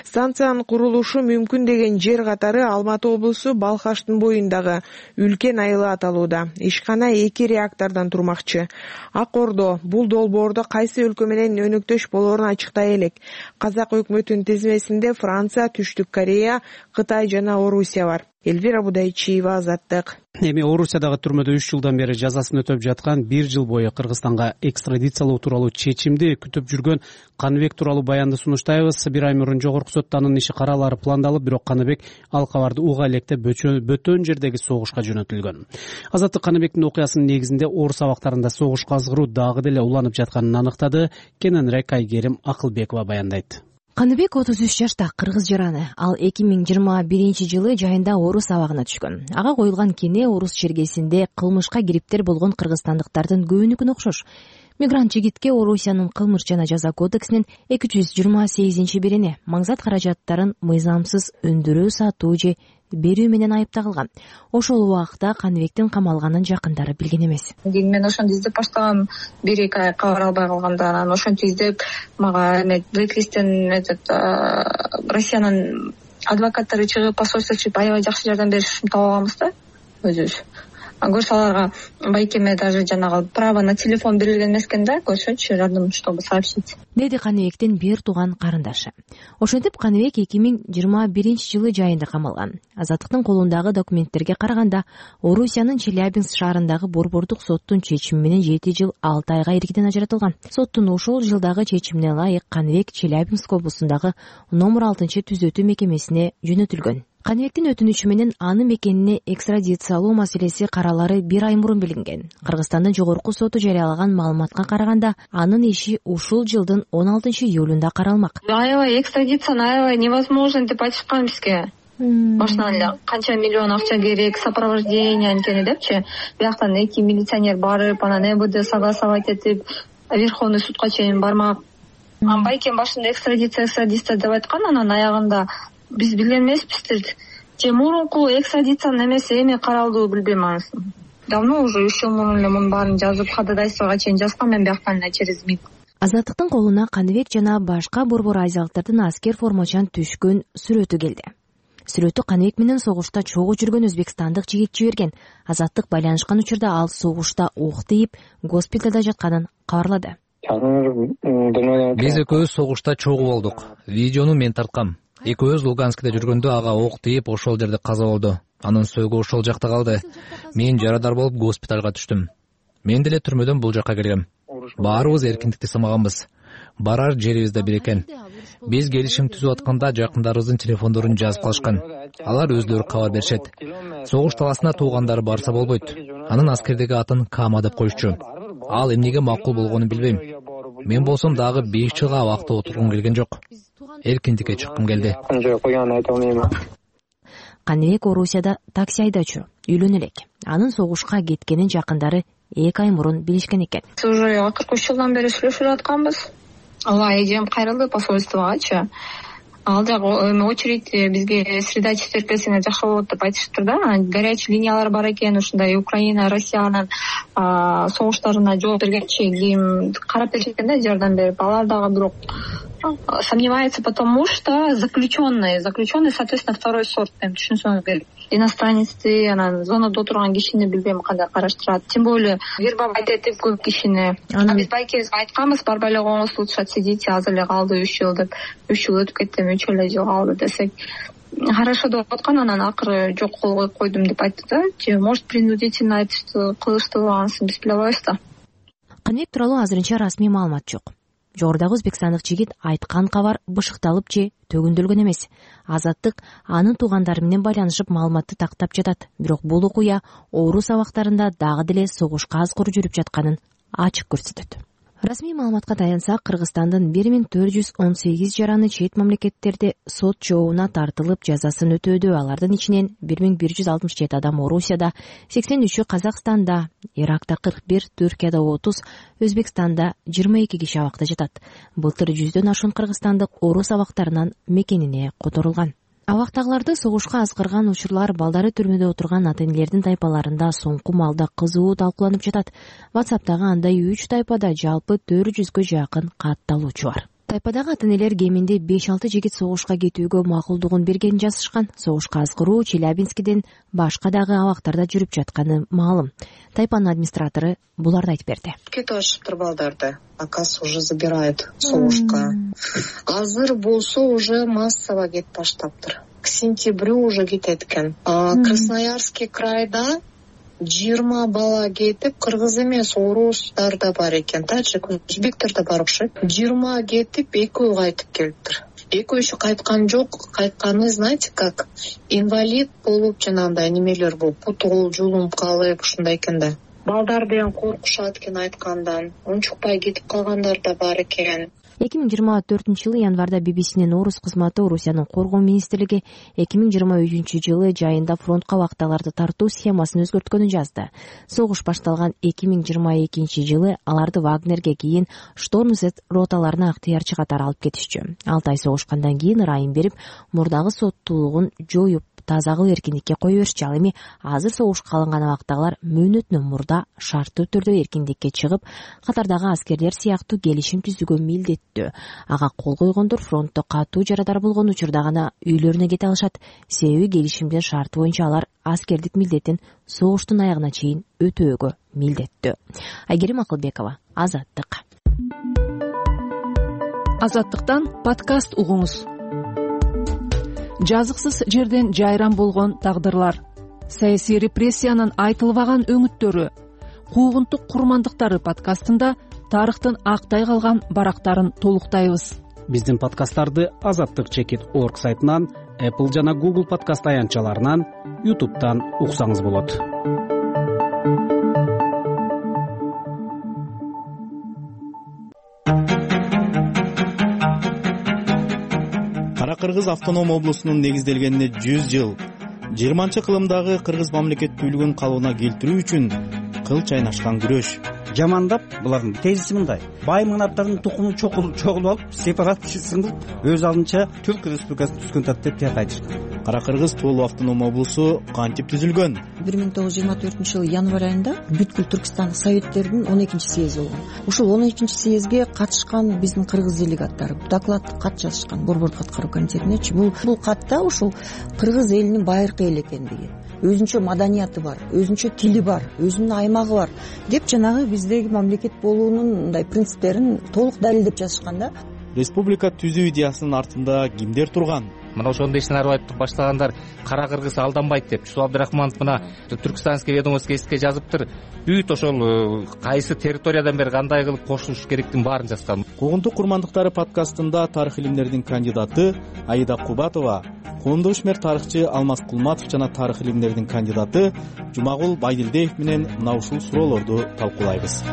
Speaker 16: Станциянын курулушу мүмкүн деген жер катары Алматы облусу Балхаштын боюндагы үлкен айылы аталууда. Ишкана 2 реактордон турмакчы. Ак Ордо бул долбоордо кайсы өлкө менен өнөктөш болоорун ачыктай элек. Казак өкмөтүнүн тизмесинде Франция, Түштүк Корея, Кытай жана Орусия бар. Элвира Будайчиева, Азаттык.
Speaker 2: Эми Орусиядагы түрмөдө 3 жылдан бери жазасын өтөп жаткан 1 жыл бою Кыргызстанга экстрадициялоо тууралуу чечимди күтүп жүргөн Каныбек тууралуу баянды сунуштайбыз. 1 ай мурун жогорку сотто анын иши каралары пландалып, бирок Каныбек ал кабарды уга электе бөтөн жердеги согушка жөнөтүлгөн. Азаттык Каныбектин окуясынын негизинде Орус абактарында согуш казгыруу дагы деле уланып жатканын аныктады. Кененирээк Айгерим Акылбекова баяндайт.
Speaker 21: Каныбек 33 жашта, кыргыз жараны. Ал 2021 жылы жайында Орус абагына түшкөн. Ага коюлган кене Орус чергесинде кылмышка кириптер болгон кыргызстандыктардын көбүнүкүнө окшош. Мигрант жигитке Орусиянын кылмыш жана жаза кодексинин 228-бирине маңзат каражаттарын мыйзамсыз өндүрүү, сатуу же берүү менен айыпталган. Ошол убакта Каныбектин камалганын жакындары билген эмес.
Speaker 1: Мен ошондо издеп баштагам, 1-2 ай кабар албай калганда, анан ошентип издеп мага блэклисттен Россиянын адвокаттары чыгып, посольство чыгып аябай жакшы жардам беришин таап алганбыз да өзүбүз. Көрсө аларга байкеме даже жанагы право на телефон берилген эмес экен да, көрсөчү жардам чтобы сообщить.
Speaker 21: Деди Каныбектин бир тууган карындашы. Ошентип Каныбек 2021-жылы жайында камалган. Азаттыктын колундагы документтерге караганда, Орусиянын Челябинск шаарындагы борбордук соттун чечими менен 7 жыл 6 айга эркинен ажыратылган. Соттун ошол жылдагы чечимине ылайык Каныбек Челябинск облусундагы номер 6-түзөтүү мекемесине жөнөтүлгөн. Каныбектин өтүнүчү менен аны мекенине экстрадициялоо маселеси каралары 1 ай мурун билинген. Кыргызстандын жогорку соту жарыялаган маалыматка караганда, анын иши ушул жылдын 16-июлунда каралмак.
Speaker 1: Аябай экстрадицияны аябай невозможно деп айтышкан бизге. Башынан эле канча миллион акча керек, сопровождение анткени депчи. Бияктан 2 милиционер барып, анан МВД согласовать этип, Верховный судка чейин бармак. Байкем башында экстрадиция деп айткан, анан аягында биз билген эмеспиз. Же мурунку экстрадициянын эмеси эми каралдуу билбейм анысын. Давно уже 3 жыл мурун эле мунун баарын жазып, ходатайствого чейин жазган мен бияктан эле через МИД.
Speaker 21: Азаттыктын колуна Каныбек жана башка борбор азиялыктардын аскер формачан түшкөн сүрөтү келди. Сүрөтү Каныбек менен согушта чогуу жүргөн өзбекстандык жигит жиберген. Азаттык байланышкан учурда ал согушта ок тийип, госпиталда жатканын кабарлады.
Speaker 22: Биз экөөбүз согушта чогуу болдук. Видеону мен тарткам. Экөөбүз Луганскте жүргөндө ага ок тийип, ошол жерде каза болду. Анын сөөгү ошол жакта калды. Мен жарадар болуп госпиталга түштүм. Мен деле түрмөдөн бул жакка келгем. Баарыбыз эркиндикти сымаганбыз. Барар жерибиз да бир экен. Биз келишим түзүп атканда жакындарыбыздын телефондорун жазып калышкан. Алар өзлөрү кабар беришет. Согуш таласына туугандары барса болбойт. Анын аскердеги атын Кама деп коюшчу. Ал эмнеге макул болгонун билбейм. Мен болсом дагы 5 жылга абакта отургум келген жок. Эркиндикке чыккым келди.
Speaker 21: Каныбек Орусияда такси айдоочу, үйлөнө элек. Анын согушка кеткенин жакындары 2 ай мурун билишкен экен.
Speaker 1: Уже акыркы 3 жылдан бери сүйлөшүп атканбыз. Ала эжем кайрылды посольствогачы. Ал жагы очередь бизге средачить берсеңер жакшы болот деп айтышыптыр да. Горячий линиялар бар экен, ушундай Украина, Россиянын согуштарына жооп бергенчи ким карап беришет экен да, жардам берип. Алар дагы бирок сомневается, потому что заключенный, соответственно, второй сорт, түшүнсөңүз керек. Иностранецти, анан зонада отурган кишини билбейм кандай караштырат. Тем более вербовать этип көп кишини. Биз байкебизге айтканбыз, барбай эле коңуз тутушат, сидите, азыр эле калды 3 жыл деп. 3 жыл өтүп кетти, 3 эле жыл калды десек. Хорошо деп аткан, анан акыры жок кол коюп койдум деп айтты да. Же может принудительно айтышты, кылышты, анысын биз биле албайбыз да.
Speaker 21: Каныбек тууралуу азырынча расмий маалымат жок. Жогорудагы өзбекстандык жигит айткан кабар бышыкталып же төгүндөлгөн эмес. Азаттык анын туугандары менен байланышып маалыматты тактап жатат. Бирок бул окуя Орус абактарында дагы деле согушка азгыр жүрүп жатканын ачык көрсөтөт. Расмий маалыматка таянсак, Кыргызстандын 1418 жараны чет мамлекеттерде сот жообуна тартылып жазасын өтөөдө. Алардын ичинен 1167 адам Орусияда, 83-ü Казакстанда, Иракта 41, Түркияда 30, Өзбекстанда 22 киши абакта жатат. Былтыр 100дөн ашуун кыргызстандык Орус абактарынан мекенине которулган. Абактагыларды согушка азгырган учурлар балдары түрмөдө отурган ата-энелердин тайпаларында соңку маалда кызуу талкууланып жатат. WhatsApp'тагы андай 3 тайпада жалпы 400гө жакын катталуучу бар. Тайпадагы ата-энелер кеминде 5-6 жигит согушка кетүүгө макулдугун бергенин жазышкан. Согушка азгыруу Челябинскиден башка дагы абактарда жүрүп жатканы маалым. Тайпанын администратору буларды айтып берди.
Speaker 23: Кетип атышыптыр балдарды. Акас уже забирает согушка. Азыр болсо уже массово кетип баштаптыр. К сентябрю уже кетет экен. Красноярский крайда 20 бала кетип, кыргыз эмес, орустар да бар экен, таджик, өзбектер да бар окшойт. 20 кетип, 2 кайтып келиптир. 2 кайткан жок, кайтканы, знаете как, инвалид болуп, жанагындай немелер болуп, путул жулум калып, ушундай экен да. Балдар деген коркушат экен айткандан, унчукпай кетип калгандар да бар экен.
Speaker 21: 2024 жылы январда bbcнин орус кызматы Орусиянын коргоо министрлиги 2023 жылы жайында фронтко убактыларды тартуу схемасын өзгөрткөнүн жазды. Согуш башталган 2022 жылы аларды Вагнерге кийин Шторм Z роталарына ыктыярчы катары алып кетишчү. 6 ай согушкандан кийин ырайым берип, мурдагы соттуулугун жоюп, таза кылып эркиндикке кое беришчи. Ал эми азыр согушка алынган абактагылар мөөнөтүнөн мурда шарттуу түрдө эркиндикке чыгып, катардагы аскерлер сыяктуу келишим түзүүгө милдеттүү. Ага кол койгондор фронтто катуу жарадар болгон учурда гана үйлөрүнө кете алышат. Себеби келишимдин шарты боюнча алар аскердик милдетин согуштун аягына чейин өтөөгө милдеттүү. Айгерим Акылбекова, Азаттык.
Speaker 5: Азаттыктан подкаст угуңуз. Жазыксыз жерден жайран болгон тагдырлар, саясий репрессиянын айтылбаган өңүттөрү, куугунтук курмандыктары подкастында тарыхтын актай калган барактарын толуктайбыз.
Speaker 2: Биздин подкасттарды azattik.org сайтынан, Apple жана Google подкаст аянтчаларынан, YouTube'дан уксаңыз болот.
Speaker 6: Кыргыз автоном облусунун негизделгенине 100 жыл. 20-кылымдагы кыргыз мамлекеттүүлүгүн калыбына келтирүү үчүн кыл чайнашкан күрөш.
Speaker 8: Жамандап, булардын тезиси мындай: бай мыңнаптардын тукумун чогулуп алып, сепаратчысыңыз өз алдынча Түрк Республикасын түзгөн тат деп тияк айтышкан.
Speaker 6: Кара Кыргыз Тоолуу автоном облусу кантип түзүлгөн?
Speaker 24: 1924 жылы январь айында бүткүл Түркстан советтердин 12-чи съези болгон. Ушул 12-чи съезге катышкан биздин кыргыз делегаттары докладдык кат жазышкан Борбордук аткаруу комитетинечи. Бул катта ушул кыргыз элинин байыркы эл экендиги, өзүнчө маданияты бар, өзүнчө тили бар, өзүнүн аймагы бар деп жанагы биздеги мамлекет болуунун мындай принциптерин толук далилдеп жазышкан да.
Speaker 6: Республика түзүү идеясынын артында кимдер турган?
Speaker 10: Мына ошондо ишин айтып баштагандар Кара Кыргыз алданбайт деп. Чусул Абдрахманов мына Түркстанский ведомостьке эске жазыптыр. Бүт ошол кайсы территориядан бери кандай кылып кошулуш керектин баарын жазган.
Speaker 6: Куугунтук курмандыктары подкастында тарых илимдеринин кандидаты Аида Кубатова, коомдук ишмер тарыхчы Алмаз Кулматов жана тарых илимдеринин кандидаты Жумагул Байдилдеев менен мына ушул суроолорду талкуулайбыз.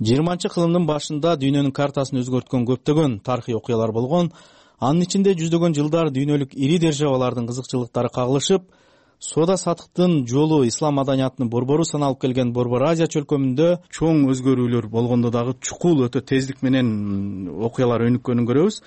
Speaker 6: 20-кылымдын башында дүйнөнүн картасын өзгөрткөн көптөгөн тарыхый окуялар болгон. Анын ичинде жүздөгөн жылдар дүйнөлүк ири державалардын кызыкчылыктары кагылышып, соода сатыктын жолу ислам маданиятынын борбору саналып келген Борбор Азия чөлкөмүндө чоң өзгөрүүлөр болгондо дагы чукул өтө тездик менен окуялар өнүккөнүн көрөбүз.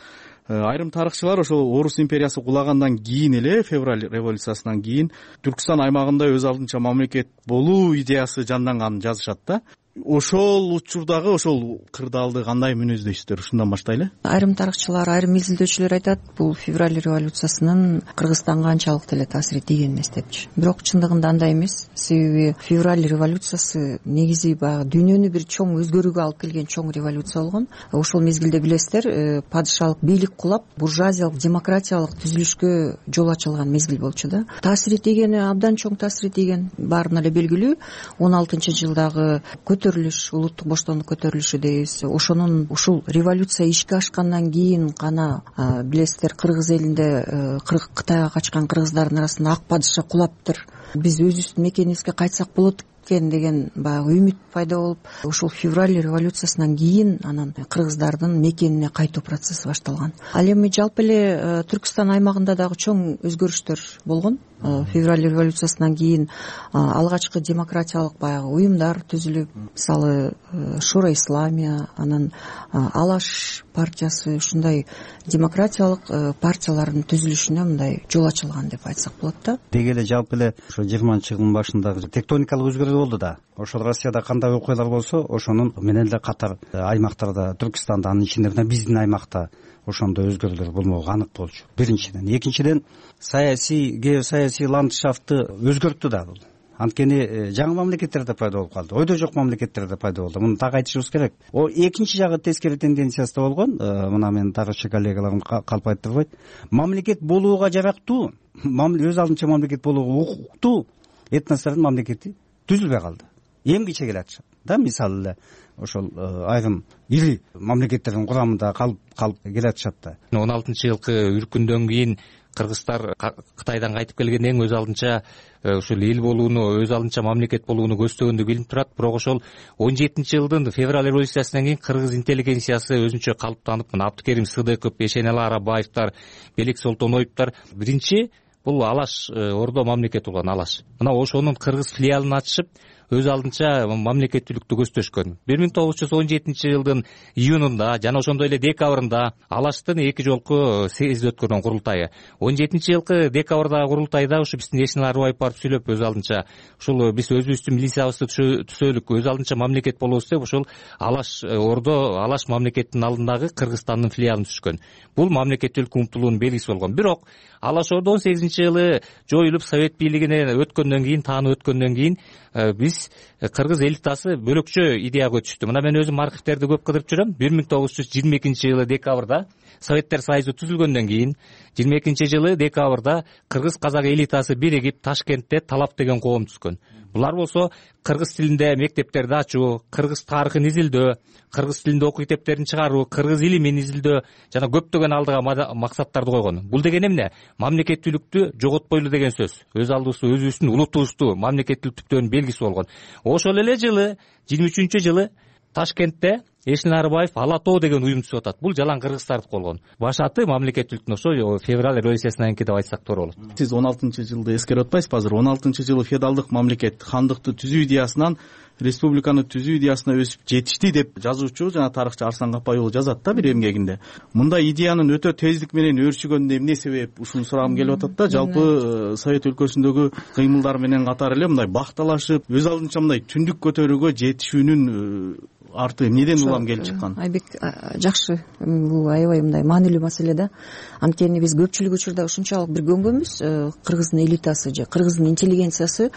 Speaker 6: Айрым тарыхчылар ошол Орус империясы кулагандан кийин эле, февраль революциясынан кийин Түркстан аймагында өз алдынча мамлекет болуу идеясы жанданганын жазышат да. Ошол учурдагы ошол кырдаалды кандай мүнөздөйсүздөр? Ушундан баштайлы.
Speaker 24: Айрым тарыхчылар, айрым изилдөөчүлөр айтат, бул февраль революциясынын Кыргызстанга анчалык деле таасири тийген эмес депчи. Бирок чындыгында андай эмес. Себеби февраль революциясы негизи баягы дүйнөнү бир чоң өзгөрүүгө алып келген чоң революция болгон. Ошол мезгилде билесиздер, падышалык бийлик кулап, буржуазиялык, демократиялык түзүлүшкө жол ачылган мезгил болчу да. Таасири тийгени абдан чоң таасири тийген, баарына эле белгилүү. 16-жылдагы көтөрүлүш, улуттук боштондук көтөрүлүшү дейбиз. Ошонун ушул революция ишке ашкандан кийин гана билесиздер, кыргыз элинде Кытайга качкан кыргыздардын арасында ак падыша кулаптыр. Биз өзүбүздүн мекенибизге кайтсак болот деген баягы үмүт пайда болуп, ушул февраль революциясынан кийин анан кыргыздардын мекенине кайтуу процесси башталган. Ал эми жалпы эле Түркстан аймагында дагы чоң өзгөрүштөр болгон. Февраль революциясынан кийин алгачкы демократиялык баягы уюмдар түзүлүп, мисалы Шура Исламия, анан Алаш партиясы, ушундай демократиялык партиялардын түзүлүшүнө мындай жол ачылган деп айтсак болот да.
Speaker 8: Деги эле жалпы эле ошо 20-жылдын башындагы тектоникалык өзгөрүү болду да. Ошол Россияда кандай окуялар болсо, ошонун менен эле катар аймактарда, Түркстанда, анын ичинде биздин аймакта ошондо өзгөрүүлөр болмогу анык болчу. Биринчиден, экинчиден саясий, геосаясий ландшафтты өзгөрттү да бул. Анткени жаңы мамлекеттер да пайда болуп калды, ойдо жок мамлекеттер да пайда болду. Муну так айтышыбыз керек. О экинчи жагы тескери тенденциясы да болгон. Мына менин тарыхчы коллегаларым калп айтырбайт. Мамлекет болууга жарактуу, өз алдынча мамлекет болууга укуктуу этностордун мамлекети түзүлбөй калды. Эмгиче келатышат да, мисалы эле ошол айрым ири мамлекеттердин курамында калып келатышат да.
Speaker 22: 16-жылкы үркүндөн кийин кыргыздар Кытайдан кайтып келгенден кийин өз алдынча ушул эл болууну, өз алдынча мамлекет болууну көздөгөндөг билинип турат. Бирок ошол 17-жылдын февраль революциясынан кийин кыргыз интеллигенциясы өзүнчө калыптанып, мына Абдыкерим Сыдыков, Эшенали Арабаевдер, Белик Солтоноевдер биринчи бул Алаш ордо мамлекет болгон Алаш. Мына ошонун кыргыз филиалын ачышып, өз алдынча мамлекеттүүлүктү көздөшкөн. 1917-жылдын июнунда жана ошондой эле декабрында Алаштын 2 жолку съезди өткөргөн курултайы. 17-жылкы декабрдагы курултайда ушу биздин Эшенали Арбаев барып сүйлөп, өз алдынча ушул биз өзүбүздүн милициябызды түзөлүк, өз алдынча мамлекет болобуз деп ошол Алаш ордо, Алаш мамлекеттин алдындагы Кыргызстандын филиалын түзүшкөн. Бул мамлекеттүүлүккө умтулуунун белгиси болгон. Бирок Алаш ордо 18-жылы жоюлуп совет бийлигине өткөндөн кийин, таанып өткөндөн кийин биз кыргыз элитасы бөлөкчө идеяга өтүштү. Мына мен өзүм архивтерди көп кыдырып жүрөм. 1922-жылы декабрда Советтер Союзу түзүлгөндөн кийин 22-жылы декабрда кыргыз казак элитасы биригип Ташкентте Талап деген коом түзгөн. Булар болсо кыргыз тилинде мектептерди ачуу, кыргыз тарыхын изилдөө, кыргыз тилинде окуу китептерин чыгаруу, кыргыз илимин изилдөө жана көптөгөн алдыга максаттарды койгон. Бул деген эмне? Мамлекеттүүлүктү жоготпойлу деген сөз. Өз алдыбызда өзүбүздүн улутубузду мамлекеттүүлүктүн белгиси болгон. Ошол эле жылы 23-жылы Ташкентте Эшенали Арбаев Ала тоо деген уюм түзүп атат. Бул жалаң кыргыздардык болгон. Башаты мамлекеттүүлүктүн ошо февраль революциясынан кийин деп айтсак туура болот.
Speaker 6: Сиз 16-жылды эскерип атпайсызбы азыр? 16-жылы феодалдык мамлекет хандыкты түзүү идеясынан республиканы түзүү идеясына өсүп жетишти деп жазуучу жана тарыхчы Арслан Капай уулу жазат да бир эмгегинде. Мындай идеянын өтө тездик менен өөрчүгөнүнө эмне себеп? Ушуну сурагым келип атат да. Жалпы Совет өлкөсүндөгү кыймылдар менен катар эле мындай бакталашып, өз алдынча мындай түндүк көтөрүүгө жетишүүнүн арты эмнеден улам келип чыккан?
Speaker 24: Айбек жакшы, бул аябай мындай маанилүү маселе да. Анткени биз көпчүлүк учурда ушунчалык бир көнгөнбүз, кыргыздын элитасы же кыргыздын интеллигенциясы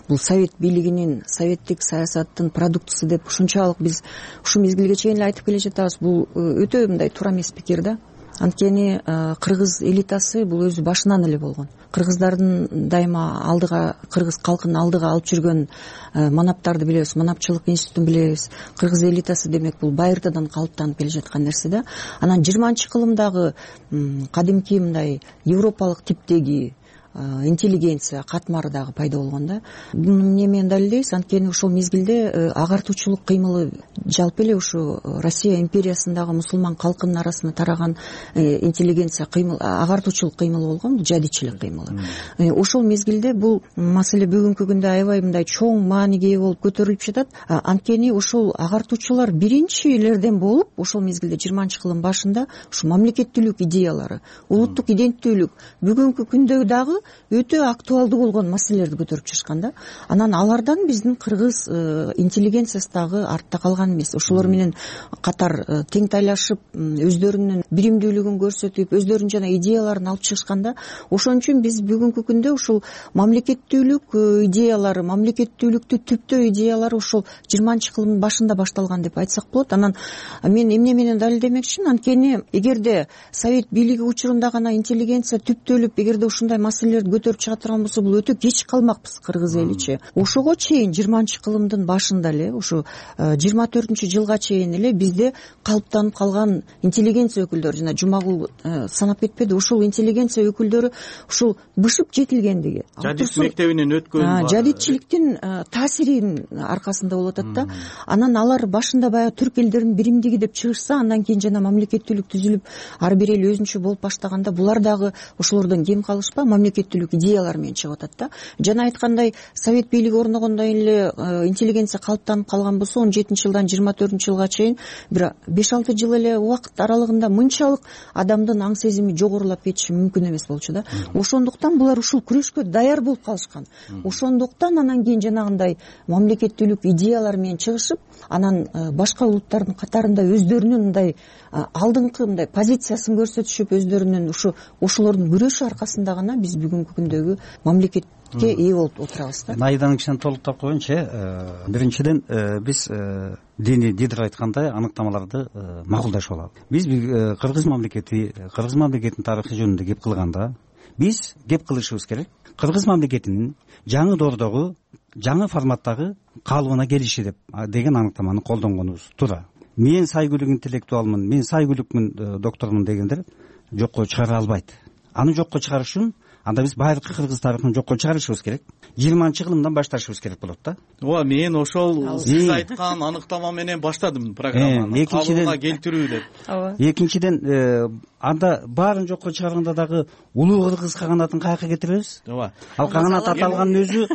Speaker 24: бул совет бийлигинин, советтик саясаттын продуктусу деп ушунчалык биз ушу мезгилге чейин эле айтып келе жатабыз. Бул өтө мындай туура эмес пикир да. Анткени кыргыз элитасы бул өзү башынан эле болгон. Кыргыздардын дайыма алдыга, кыргыз калкын алдыга алып жүргөн манаптарды билебиз, манапчылык институтун билебиз. Кыргыз элитасы демек бул байыртадан калыптанып келе жаткан нерсе да. Анан 20-кылымдагы кадимки мындай европалык типтеги интеллигенция катмары дагы пайда болгон да. Буну эмне менен далилдейбиз? Анткени ошол мезгилде агартуучулук кыймылы жалпы эле ушу Россия империясындагы мусулман калкынын арасына тараган интеллигенция кыймыл, агартуучулук кыймылы болгон, жадичилик кыймылы. Ошол мезгилде бул маселе бүгүнкү күндө аябай мындай чоң мааниге ээ болуп көтөрүлүп жатат. Анткени ошол агартуучулар биринчилерден болуп, ошол мезгилде 20-кылым башында ушу мамлекеттүүлүк идеялары, улуттук иденттүүлүк бүгүнкү күндө дагы өтө актуалдуу болгон маселелерди көтөрүп чыгышкан да. Анан алардан биздин кыргыз интеллигенциясы дагы артта калган эмес. Ошолор менен катар тең тайлашып, өздөрүнүн биримдүүлүгүн көрсөтүп, өздөрүнүн жана идеяларын алып чыгышкан да. Ошон үчүн биз бүгүнкү күндө ушул мамлекеттүүлүк идеялары, мамлекеттүүлүктү түптөө идеялары ушул 20-кылымдын башында башталган деп айтсак болот. Анан мен эмне менен далилдемекчимин? Анткени эгерде совет бийлиги учурунда гана интеллигенция түптөлүп, эгерде ушундай маселелерди көтөрүп чыга турган болсо, бул өтө кеч калмакпыз кыргыз эличи. Ошого чейин 20-кылымдын башында эле, ушу 24-жылга чейин эле бизде калыптанып калган интеллигенция өкүлдөрү, жана Жумагул санап кетпеди, ушул интеллигенция өкүлдөрү ушул бышып жетилгендиги,
Speaker 6: жадит мектебинен өткөн,
Speaker 24: жадитчиликтин таасиринин аркасында болуп атат да. Анан алар башында баягы түрк элдеринин биримдиги деп чыгышса, андан кийин жана мамлекеттүүлүк түзүлүп, ар бир эл өзүнчө болуп баштаганда, булар дагы ошолордон кем калышпа мамлекеттүүлүк идеялар менен чыгып атат да. Жана айткандай, совет бийлиги орногондон эле интеллигенция калыптанып калган болсо, 17-жылдан 24-жылга чейин бир 5-6 жыл эле убакыт аралыгында мынчалык адамдын аң сезими жогорулап кетиши мүмкүн эмес болчу да. Ошондуктан булар ушул күрөшкө даяр болуп калышкан. Ошондуктан анан кийин жанагындай мамлекеттүүлүк идеялар менен чыгышып, анан башка улуттардын катарында өздөрүнүн мындай алдыңкы мындай позициясын көрсөтүшүп, өздөрүнүн ошолордун күрөшү аркасында гана биз бүгүнкү күндөгү мамлекетке ээ болуп отурабыз да.
Speaker 8: Айданын кичине толуктап коеюнчу. Биринчиден биз диний дидир айткандай аныктамаларды макулдашып алалы. Биз кыргыз мамлекетинин тарыхы жөнүндө кеп кылганда биз кеп кылышыбыз керек. Кыргыз мамлекетинин жаңы доордогу жаңы форматтагы калыбына келиши деген аныктаманы колдонгонубуз туура. Мен сайгүлүк интеллектуалмын, мен сайгүлүкмүн, доктормун дегендер жокко чыгара албайт. Аны жокко чыгарыш үчүн анда биз байыркы кыргыз тарыхын жокко чыгарышыбыз керек. 20-кылымдан башташыбыз керек болот да.
Speaker 6: Ооба, мен ошол сиз айткан аныктама менен баштадым программаны. Калыбына келтирүү деп.
Speaker 8: Экинчиден, анда баарын жокко чыгарганда дагы улуу кыргыз каганатын каяка кетиребиз?
Speaker 6: Ооба.
Speaker 8: Ал каганат аталганын өзү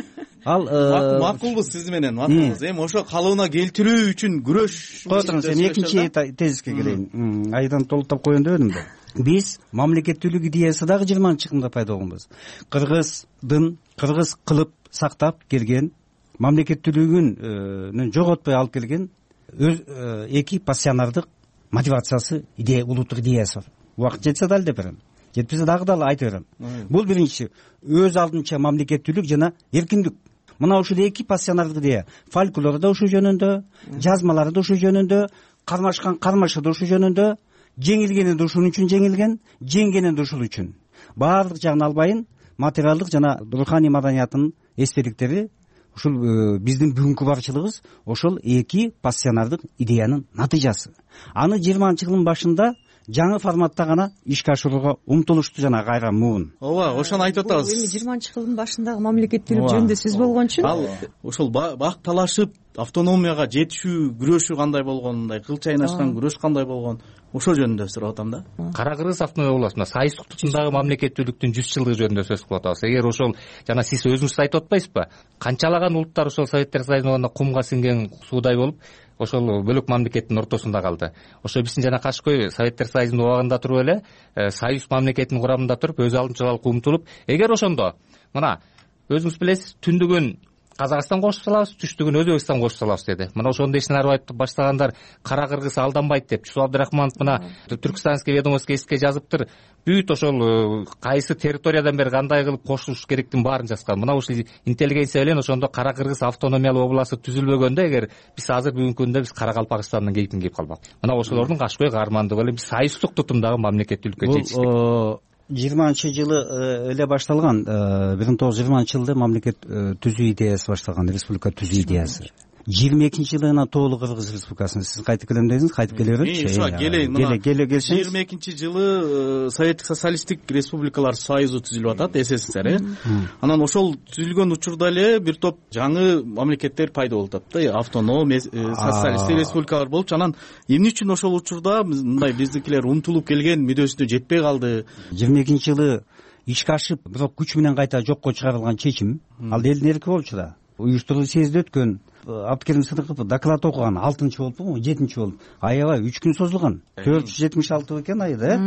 Speaker 6: макулбуз сиз менен, макулбуз. Эми ошо калыбына келтирүү үчүн күрөш.
Speaker 8: Кой туруңуз, эми экинчи тезиске келейин. Айдан толуктап коеюн дебедим да. Биз мамлекеттүүлүк идеясы дагы 20-кылымда пайда болгонбуз. Кыргыз кылып сактап келген, мамлекеттүүлүгүн жоготпой алып келген эки пассионардык мотивациясы, идея, улуттук идеясы бар. Убакыт жетсе дал деп берем. Жетпесе дагы айта берем. Бул биринчи өз алдынча мамлекеттүүлүк жана эркиндик. Мына ушул эки пассионардык идея. Фольклору да ушул жөнүндө, жазмалары да ушул жөнүндө, кармашкан кармашы да ушул жөнүндө, жеңилгени да ушун үчүн жеңилген, жеңгени да ушул үчүн. Баардык жагын албайын, материалдык жана руханий маданиятынын эстеликтери ушул биздин бүгүнкү барчылыгыбыз ошол эки пассионардык идеянын натыйжасы. Аны 20-кылымдын башында жаңы форматта гана ишке ашырууга умтулушту жана кайра муун.
Speaker 6: Ооба, ошону айтып атабыз.
Speaker 24: Эми 20-кылымдын башындагы мамлекеттүүлүк жөнүндө сөз болгон үчүн
Speaker 6: ал ошол бак талашып автономияга жетишүү күрөшү кандай болгон, мындай кыл чайнашкан күрөш кандай болгон, ошол жөнүндө сурап атам да.
Speaker 22: Кара Кыргыз автономия областында союздук тутумдагы мамлекеттүүлүктүн 100 жылдыгы жөнүндө сөз кылып атабыз. Эгер ошол жана сиз өзүңүз айтып атпайсызбы? Канчалаган улуттар ошол Советтер Союзунда кумга сиңген суудай болуп, ошол бөлөк мамлекеттин ортосунда калды. Ошо биздин жана Кашкой Советтер Союзунун убагында туруп эле союз мамлекетинин курамында туруп, өз алдынчалык умтулуп, эгер ошондо мына өзүңүз билесиз, түндүгүн Казакстан кошуп салабыз, түштүгүн Өзбекстан кошуп салабыз деди. Мына ошондой ишин айтып баштагандар Кара Кыргыз алданбайт деп Чусуп Абдрахманов мына Түркстанский ведомостько эске жазыптыр. Бүт ошол кайсы территориядан бери кандай кылып кошулуш керектин баарын жазган. Мына ушул интеллигенция менен ошондо Кара Кыргыз автономиялык областы түзүлбөгөндө, эгер биз азыр бүгүнкү күндө биз Каракалпакстандын кейпин кийип калбак. Мына ошолордун Кашкой каармандыгы эле биз союздук тутумдагы мамлекеттүүлүккө жетиштик.
Speaker 8: 20-жылы эле башталган, 1920-жылда мамлекет түзүү идеясы башталган, республика түзүү идеясы. 22-жылына тоолуу Кыргыз республикасын сиз кайтып келем дедиңиз, кайтып келе берет.
Speaker 6: Келесиз. 22-жылы Советтик социалисттик республикалар союзу түзүлүп атат, СССР. Анан ошол түзүлгөн учурда эле бир топ жаңы мамлекеттер пайда болуп атат да, автоном, социалисттик республикалар болчу. Анан эмне үчүн ошол учурда мындай биздикилер умтулуп келген мүдөөсүнө жетпей калды?
Speaker 8: 22-жылы ишке ашып, бирок күч менен кайта жокко чыгарылган чечим, ал элдин эрки болчу да. Уюштуруу съезде өткөн, Абдыкерим Сыдыков доклад окуган, 6-чы болупу, 7-чи болуп. Аябай 3 күн созулган. 476 экен ай да.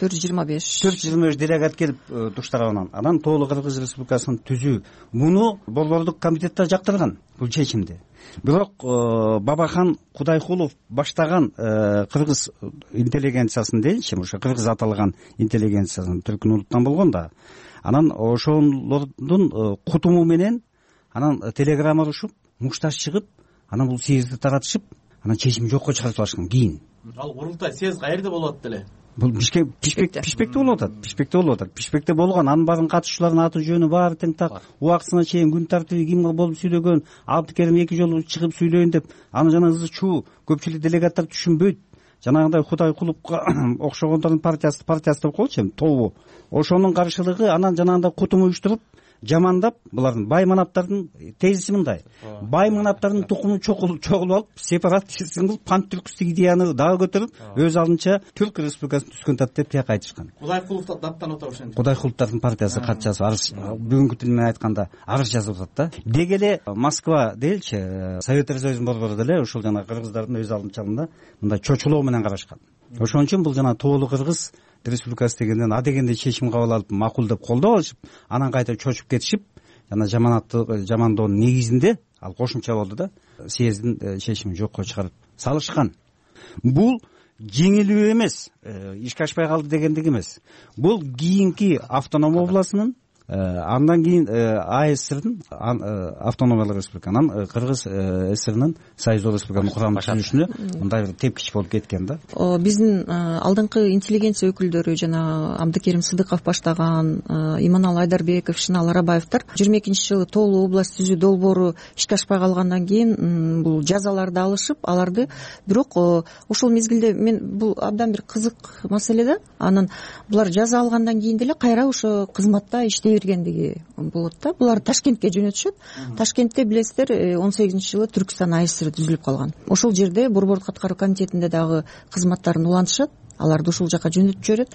Speaker 8: 425 делегат келип туш тарабынан. Анан тоолуу Кыргыз республикасын түзүү. Муну Борбордук комитетте жактырган бул чечимди. Бирок Бабахан Кудайкулов баштаган кыргыз интеллигенциясын дейинчи, ошо кыргыз аталган интеллигенциясын түркүн улуттан болгон да. Анан ошолордун кутуму менен анан телеграмма урушуп, мушташ чыгып, анан бул съезди таратышып, анан чечим жокко чыгарып салышкан кийин.
Speaker 6: Ал курултай съезд каерде болуп атат эле?
Speaker 8: Бул Бишкекте болуп атат. Бишкекте болгон, анын баарын катышуулардын аты жөнү баары тең так, убактысына чейин күн тартиби ким болуп сүйлөгөн, Абдыкерим 2 жолу чыгып сүйлөйүн деп, аны жана ызы чуу көпчүлүк делегаттар түшүнбөйт. Жанагындай Кудайкуловго окшогондордун партиясы деп коелучу, тобу. Ошонун каршылыгы, анан жанагындай кутум уюштуруп, жамандап, булардын бай манаптардын тезиси мындай. Бай манаптардын тукумун чогулуп алып, сепаратизм кылып, пантүркүстүк идеяны дагы көтөрүп, өз алдынча Түрк республикасын түзгөн тат деп тияка айтышкан.
Speaker 6: Кудайкулов даттанып атат ошентип.
Speaker 8: Кудайкуловдун партиясы кат жазып, арыз, бүгүнкү тил менен айтканда, арыз жазып атат да. Деги эле Москва дейилчи, Советтер Союзунун борбору деле ошол жана кыргыздардын өз алдынчалыгында мындай чочулоо менен карашкан. Ошон үчүн бул жана тоолуу Кыргыз республикасы дегенден дегенде чечим кабыл алып, макул деп колдоп алышып, анан кайта чочуп кетишип, жана жамандоонун негизинде ал кошумча болду да, съездин чечимин жокко чыгарып салышкан. Бул жеңилүү эмес, ишке ашпай калды дегендик эмес. Бул кийинки автоном областынын Андан кийин АСРдин автономиялык республика, анан Кыргыз ССРнин Союздук республиканын курамдык түзүлүшүнө мындай бир тепкич болуп кеткен да.
Speaker 24: Биздин алдыңкы интеллигенция өкүлдөрү жана Абдыкерим Сыдыков баштаган, Иманалы Айдарбеков, Ишеналы Арабаевдер 22-жылы Тоолуу область түзүү долбоору ишке ашпай калгандан кийин бул жазаларды алышып, аларды бирок ошол мезгилде бул абдан бир кызык маселе да. Анан булар жаза алгандан кийин деле кайра ошо кызматта иштей бергендиги болот да. Булар Ташкентке жөнөтүшөт. Ташкентте билесиздер 18-жылы Түркстан АСР түзүлүп калган. Ошол жерде Борбордук аткаруу комитетинде дагы кызматтарын улантышат. Аларды ушул жака жөнөтүп жиберет.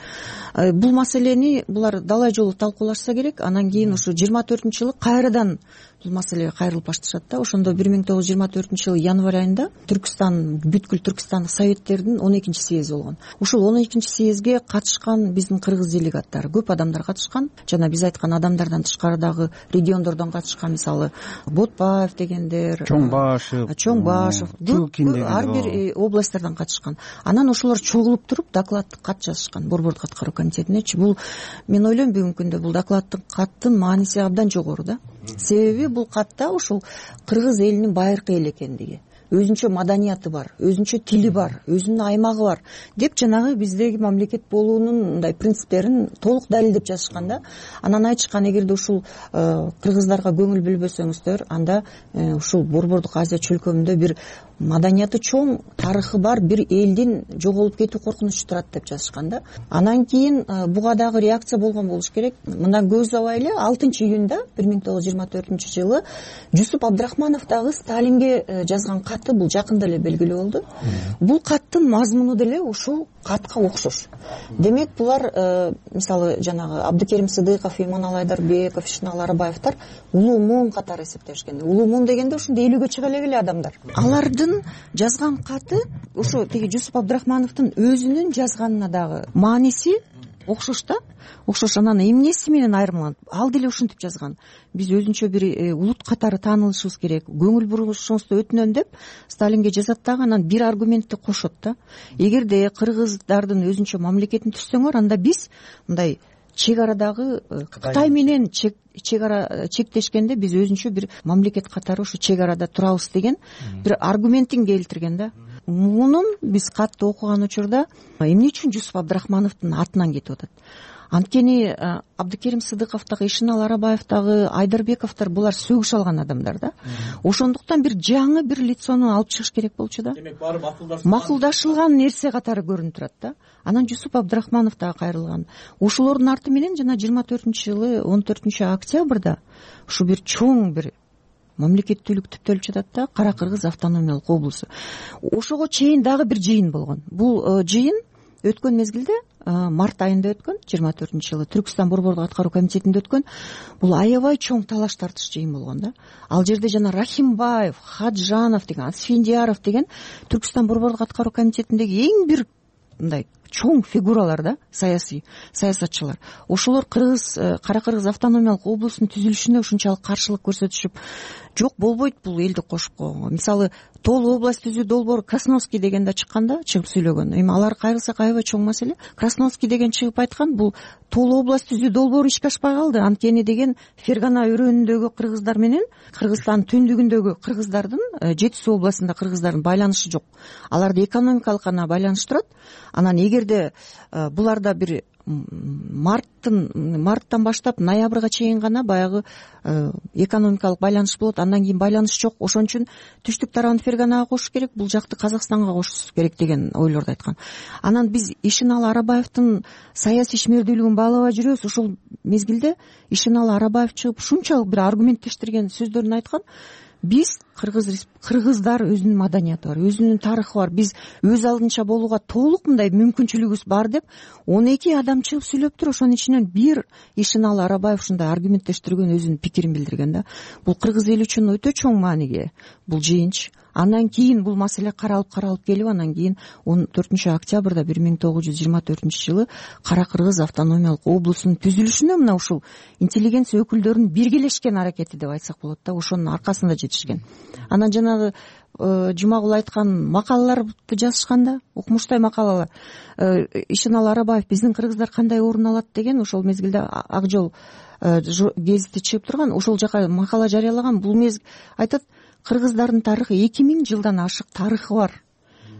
Speaker 24: Бул маселени булар далай жолу талкуулашса керек. Анан кийин ушу 24-жылы кайрадан бул маселеге кайрылып башташат да. Ошондо 1924-жылы январь айында Түркстан, бүткүл Түркстандык советтердин 12-чи съези болгон. Ушул 12-чи съезге катышкан биздин кыргыз делегаттары көп адамдар катышкан. Жана биз айткан адамдардан тышкары дагы региондордон катышкан, мисалы Ботпаев дегендер, Чоңбашев, ар бир областтардан катышкан. Анан ошолор чогулуп туруп докладтык кат жазышкан Борбордук аткаруу комитетинечи. Бул мен ойлойм бүгүнкү күндө бул докладтын каттын мааниси абдан жогору да. Себеби бул катта ушул кыргыз элинин байыркы эл экендиги, өзүнчө маданияты бар, өзүнчө тили бар, өзүнүн аймагы бар деп жанагы биздеги мамлекет болуунун мындай принциптерин толук далилдеп жазышкан да. Анан айтышкан, эгерде ушул кыргыздарга көңүл бөлбөсөңүздөр, анда ушул Борбордук Азия чөлкөмүндө бир маданияты чоң, тарыхы бар бир элдин жоголуп кетүү коркунучу турат деп жазышкан да. Анан кийин буга дагы реакция болгон болуш керек. Мындан көп убай эле 6-июнда 1924-жылы Жусуп Абдрахманов дагы Сталинге жазган каты бул жакында эле белгилүү болду. Бул каттын мазмуну деле ушул катка окшош. Демек булар мисалы жанагы Абдыкерим Сыдыков, Иманалы Айдарбеков, Ишеналы Арабаевдер улуу муун катары эсептешкен. Улуу муун дегенде ушунда 50-гө чыга эле адамдар. Алардын жазган каты ошо тиги Жусуп Абдрахмановдун өзүнүн жазганына дагы мааниси окшош да. Окшош. Анан эмнеси менен айырмаланат? Ал деле ушинтип жазган. Биз өзүнчө бир улут катары таанылышыбыз керек. Көңүл бурушуңузду өтүнөм деп Сталинге жазат дагы, анан бир аргументти кошот да. Эгерде кыргыздардын өзүнчө мамлекетин түзсөңөр, анда биз мындай чек арадагы Кытай менен чек ара чектешкенде биз өзүнчө бир мамлекет катары ушу чек арада турабыз деген бир аргументин келтирген да. Мунун биз катты окуган учурда эмне үчүн Жусуп Абдрахмановдун атынан кетип атат? Анткени Абдыкерим Сыдыков дагы, Ишеналы Арабаев дагы, Айдарбековдор булар сөгүш алган адамдар да. Ошондуктан бир жаңы бир лицону алып чыгыш керек болчу да.
Speaker 10: Демек баары
Speaker 24: макулдашылган нерсе катары көрүнүп турат да. Анан Жусуп Абдрахманов дагы кайрылган. Ошолордун арты менен жана 24-жылы 14-октябрда ушу бир чоң бир мамлекеттүүлүк түптөлүп жатат да, Кара Кыргыз автономиялык облусу. Ошого чейин дагы бир жыйын болгон. Бул жыйын өткөн мезгилде март айында өткөн, 24-жылы Түркстан Борбордук аткаруу комитетинде өткөн. Бул аябай чоң талаш тартыш жыйын болгон да. Ал жерде жана Рахимбаев, Хаджанов деген, Асфендияров деген Түркстан Борбордук аткаруу комитетиндеги эң бир мындай чоң фигуралар да, саясатчылар. Ошолор Кара Кыргыз автономиялык облусунун түзүлүшүнө ушунчалык каршылык көрсөтүшүп, жок болбойт бул элди кошуп койгонго. Мисалы Тоолуу область түзүү долбоору Красновский дегенде чыкканда чыгып сүйлөгөн. Эми алар кайрылсак аябай чоң маселе. Красновский деген чыгып айткан, бул Тоолуу область түзүү долбоору ишке ашпай калды. Анткени деген Фергана өрөөнүндөгү кыргыздар менен Кыргызстандын түндүгүндөгү кыргыздардын, Жети суу областында кыргыздардын байланышы жок. Аларды экономикалык гана байланыштырат. Анан эгерде буларда бир марттан баштап ноябрга чейин гана баягы экономикалык байланыш болот, андан кийин байланыш жок. Ошон үчүн түштүк тарабын Ферганага кошуш керек, бул жакты Казакстанга кошуш керек деген ойлорду айткан. Анан биз Ишеналы Арабаевдин саясий ишмердүүлүгүн баалабай жүрөбүз. Ошол мезгилде Ишеналы Арабаев чыгып ушунчалык бир аргументтештирген сөздөрүн айткан. Биз кыргыздар өзүнүн маданияты бар, өзүнүн тарыхы бар. Биз өз алдынча болууга толук мындай мүмкүнчүлүгүбүз бар деп 12 адам чыгып сүйлөп тур. Ошонун ичинен бир Ишеналы Арабаев ушундай аргументтештирген, өзүнүн пикирин билдирген да. Бул кыргыз эли үчүн өтө чоң мааниге бул жыйынчы. Андан кийин бул маселе каралып келип, анан кийин 14 октябрда 1924 Кара Кыргыз автономиялык облусунун түзүлүшүнө мына ушул интеллигенция өкүлдөрүнүн биргелешкен аракети деп айтсак болот да, ошонун аркасында жетишкен. Анан жанагы Жумагул айткан макалаларды жазышканда, укмуштай макалалар, Ишеналы Арабаев биздин кыргыздар кандай орун алат деген, ошол мезгилде Ак жол гезити чыгып турган, ошол жака макала жарыялаган. Бул айтат, кыргыздардын тарыхы 2000 жылдан ашык тарыхы бар.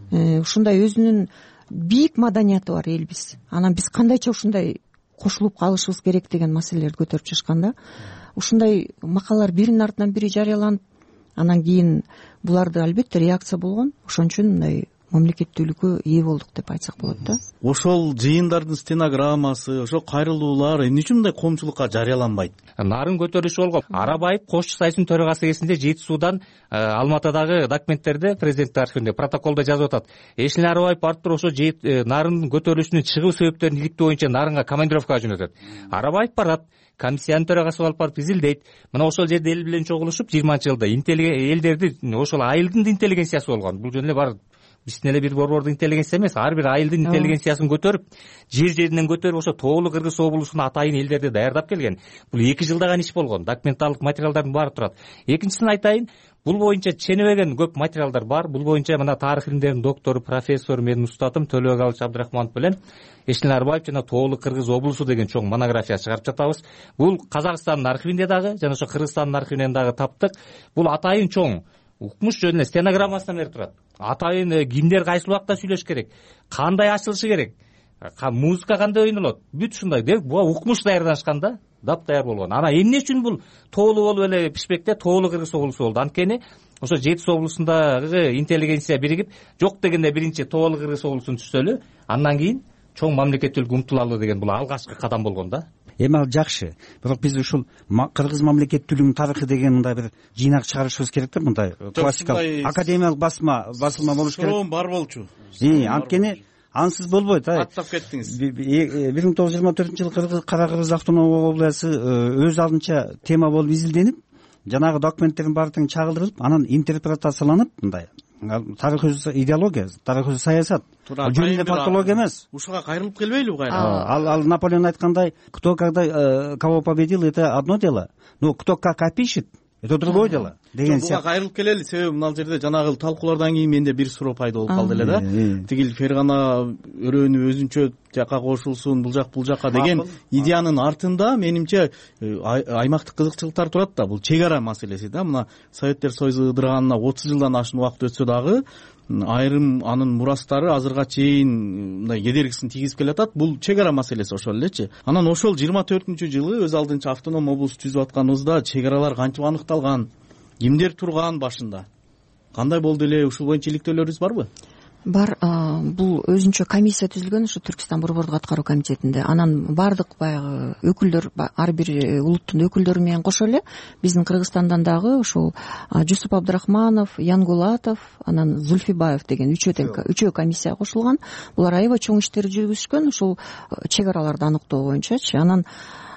Speaker 24: Ушундай өзүнүн бийик маданияты бар элбиз. Анан биз кандайча ушундай кошулуп калышыбыз керек деген маселелерди көтөрүп чыгышканда, ушундай макалалар биринин артынан бири жарыяланып, анан кийин буларды албетте реакция болгон. Ошон үчүн мындай мамлекеттүүлүккө ээ болдук деп айтсак болот да.
Speaker 6: Ошол жыйындардын стенограммасы, ошол кайрылуулар эмне үчүн мындай коомчулукка жарыяланбайт?
Speaker 3: Нарын көтөрүшү болгон. Арабаев Кош Сайсынын төрагасы кезинде Жети Суудан Алматыдагы документтерде, президенттик архивинде, протоколдо жазып атат. Эшенали Арабаев барып туруп ошо Нарын көтөрүлүшүнүн чыгуу себептерин иликтөө боюнча Нарынга командировкага жөнөтөт. Арабаев барат, комиссиянын төрагасы болуп барып изилдейт. Мына ошол жерде эл менен чогулушуп 20-жылда элдерди, ошол айылдын интеллигенциясы болгон. Бул жөн эле бар биздин эле бир борбордук интеллигенция эмес, ар бир айылдын интеллигенциясын көтөрүп, жеринен көтөрүп ошо Тоолу Кыргыз облусунун атайын элдерди даярдап келген. Бул 2 жылдаган иш болгон. Документалдык материалдардын баары турат. Экинчисин айтайын, бул боюнча ченебеген көп материалдар бар. Бул боюнча мына тарых илимдеринин доктору, профессор, менин устатым Төлөбек Алыч Абдрахманов менен Эшенали Арбаев жана Тоолу Кыргыз облусу деген чоң монография чыгарып жатабыз. Бул Казакстандын архивинде дагы, жана ошо Кыргызстандын архивинен дагы таптык. Бул атайын чоң укмуш жөнүндө стенограммасынан берип турат. Атайын кимдер кайсыл убакта сүйлөш керек, кандай ачылышы керек, музыка кандай ойнолот, бүт ушундай деп укмуш даярданышкан да, даяр болгон. Анан эмне үчүн бул Тоолу болуп эле пишпекте Тоолу Кыргыз облусу болду? Анткени ошо Жети Суу облусундагы интеллигенция биригип, жок дегенде биринчи Тоолу Кыргыз облусун түзсөлү, андан кийин чоң мамлекеттүүлүккө умтулалы деген бул алгачкы кадам болгон да.
Speaker 8: Эми ал жакшы, бирок биз ушул кыргыз мамлекеттүүлүгүнүн тарыхы деген мындай бир жыйнак чыгарышыбыз керек да, мындай классикалык академиялык басылма болуш керек.
Speaker 6: Суроо бар болчу.
Speaker 8: Анткени ансыз болбойт.
Speaker 6: Аттап кеттиңиз.
Speaker 8: 1924-жылы Кара Кыргыз автономиялык облусу өз алдынча тема болуп изилденип, жанагы документтердин баардыгы чагылдырылып, анан интерпретацияланып, мындай тарых өзү идеология, тарых өзү саясат. Жөн эле фактология эмес.
Speaker 6: Ушуга кайрылып келбейли кайра?
Speaker 8: Ал Наполеон айткандай, кто когда кого победил, это одно дело, но кто как опишет, это другое дело деген
Speaker 6: сыяктуу. Буга кайрылып келели, себеби мына жерде жанагы талкуулардан кийин менде бир суроо пайда болуп калды эле да. Тигил Фергана өрөөнү өзүнчө жака кошулсун, бул жака деген идеянын артында менимче аймактык кызыкчылыктар турат да. Бул чек ара маселеси да. Мына Советтер Союзу ыдырганына 30 жылдан ашык убакыт өтсө дагы айрым анын мурастары азырга чейин мындай кедергисин тийгизип келатат. Бул чек ара маселеси ошол элечи. Анан ошол 24-жылы өз алдынча автоном облус түзүп атканыбызда чек аралар кантип аныкталган, кимдер турган башында, кандай болду эле, ушул боюнча иликтөөлөрүбүз барбы?
Speaker 24: Бар. Бул өзүнчө комиссия түзүлгөн ушу Түркистан борбордук аткаруу комитетинде. Анан бардык баягы өкүлдөр, ар бир улуттун өкүлдөрү менен кошо эле биздин Кыргызстандан дагы ушул Жусуп Абдрахманов, Янгулатов, анан Зульфибаев деген үчөө комиссия кошулган. Булар аябай чоң иштер жүргүзүшкөн ушул чек араларды аныктоо боюнчачы. Анан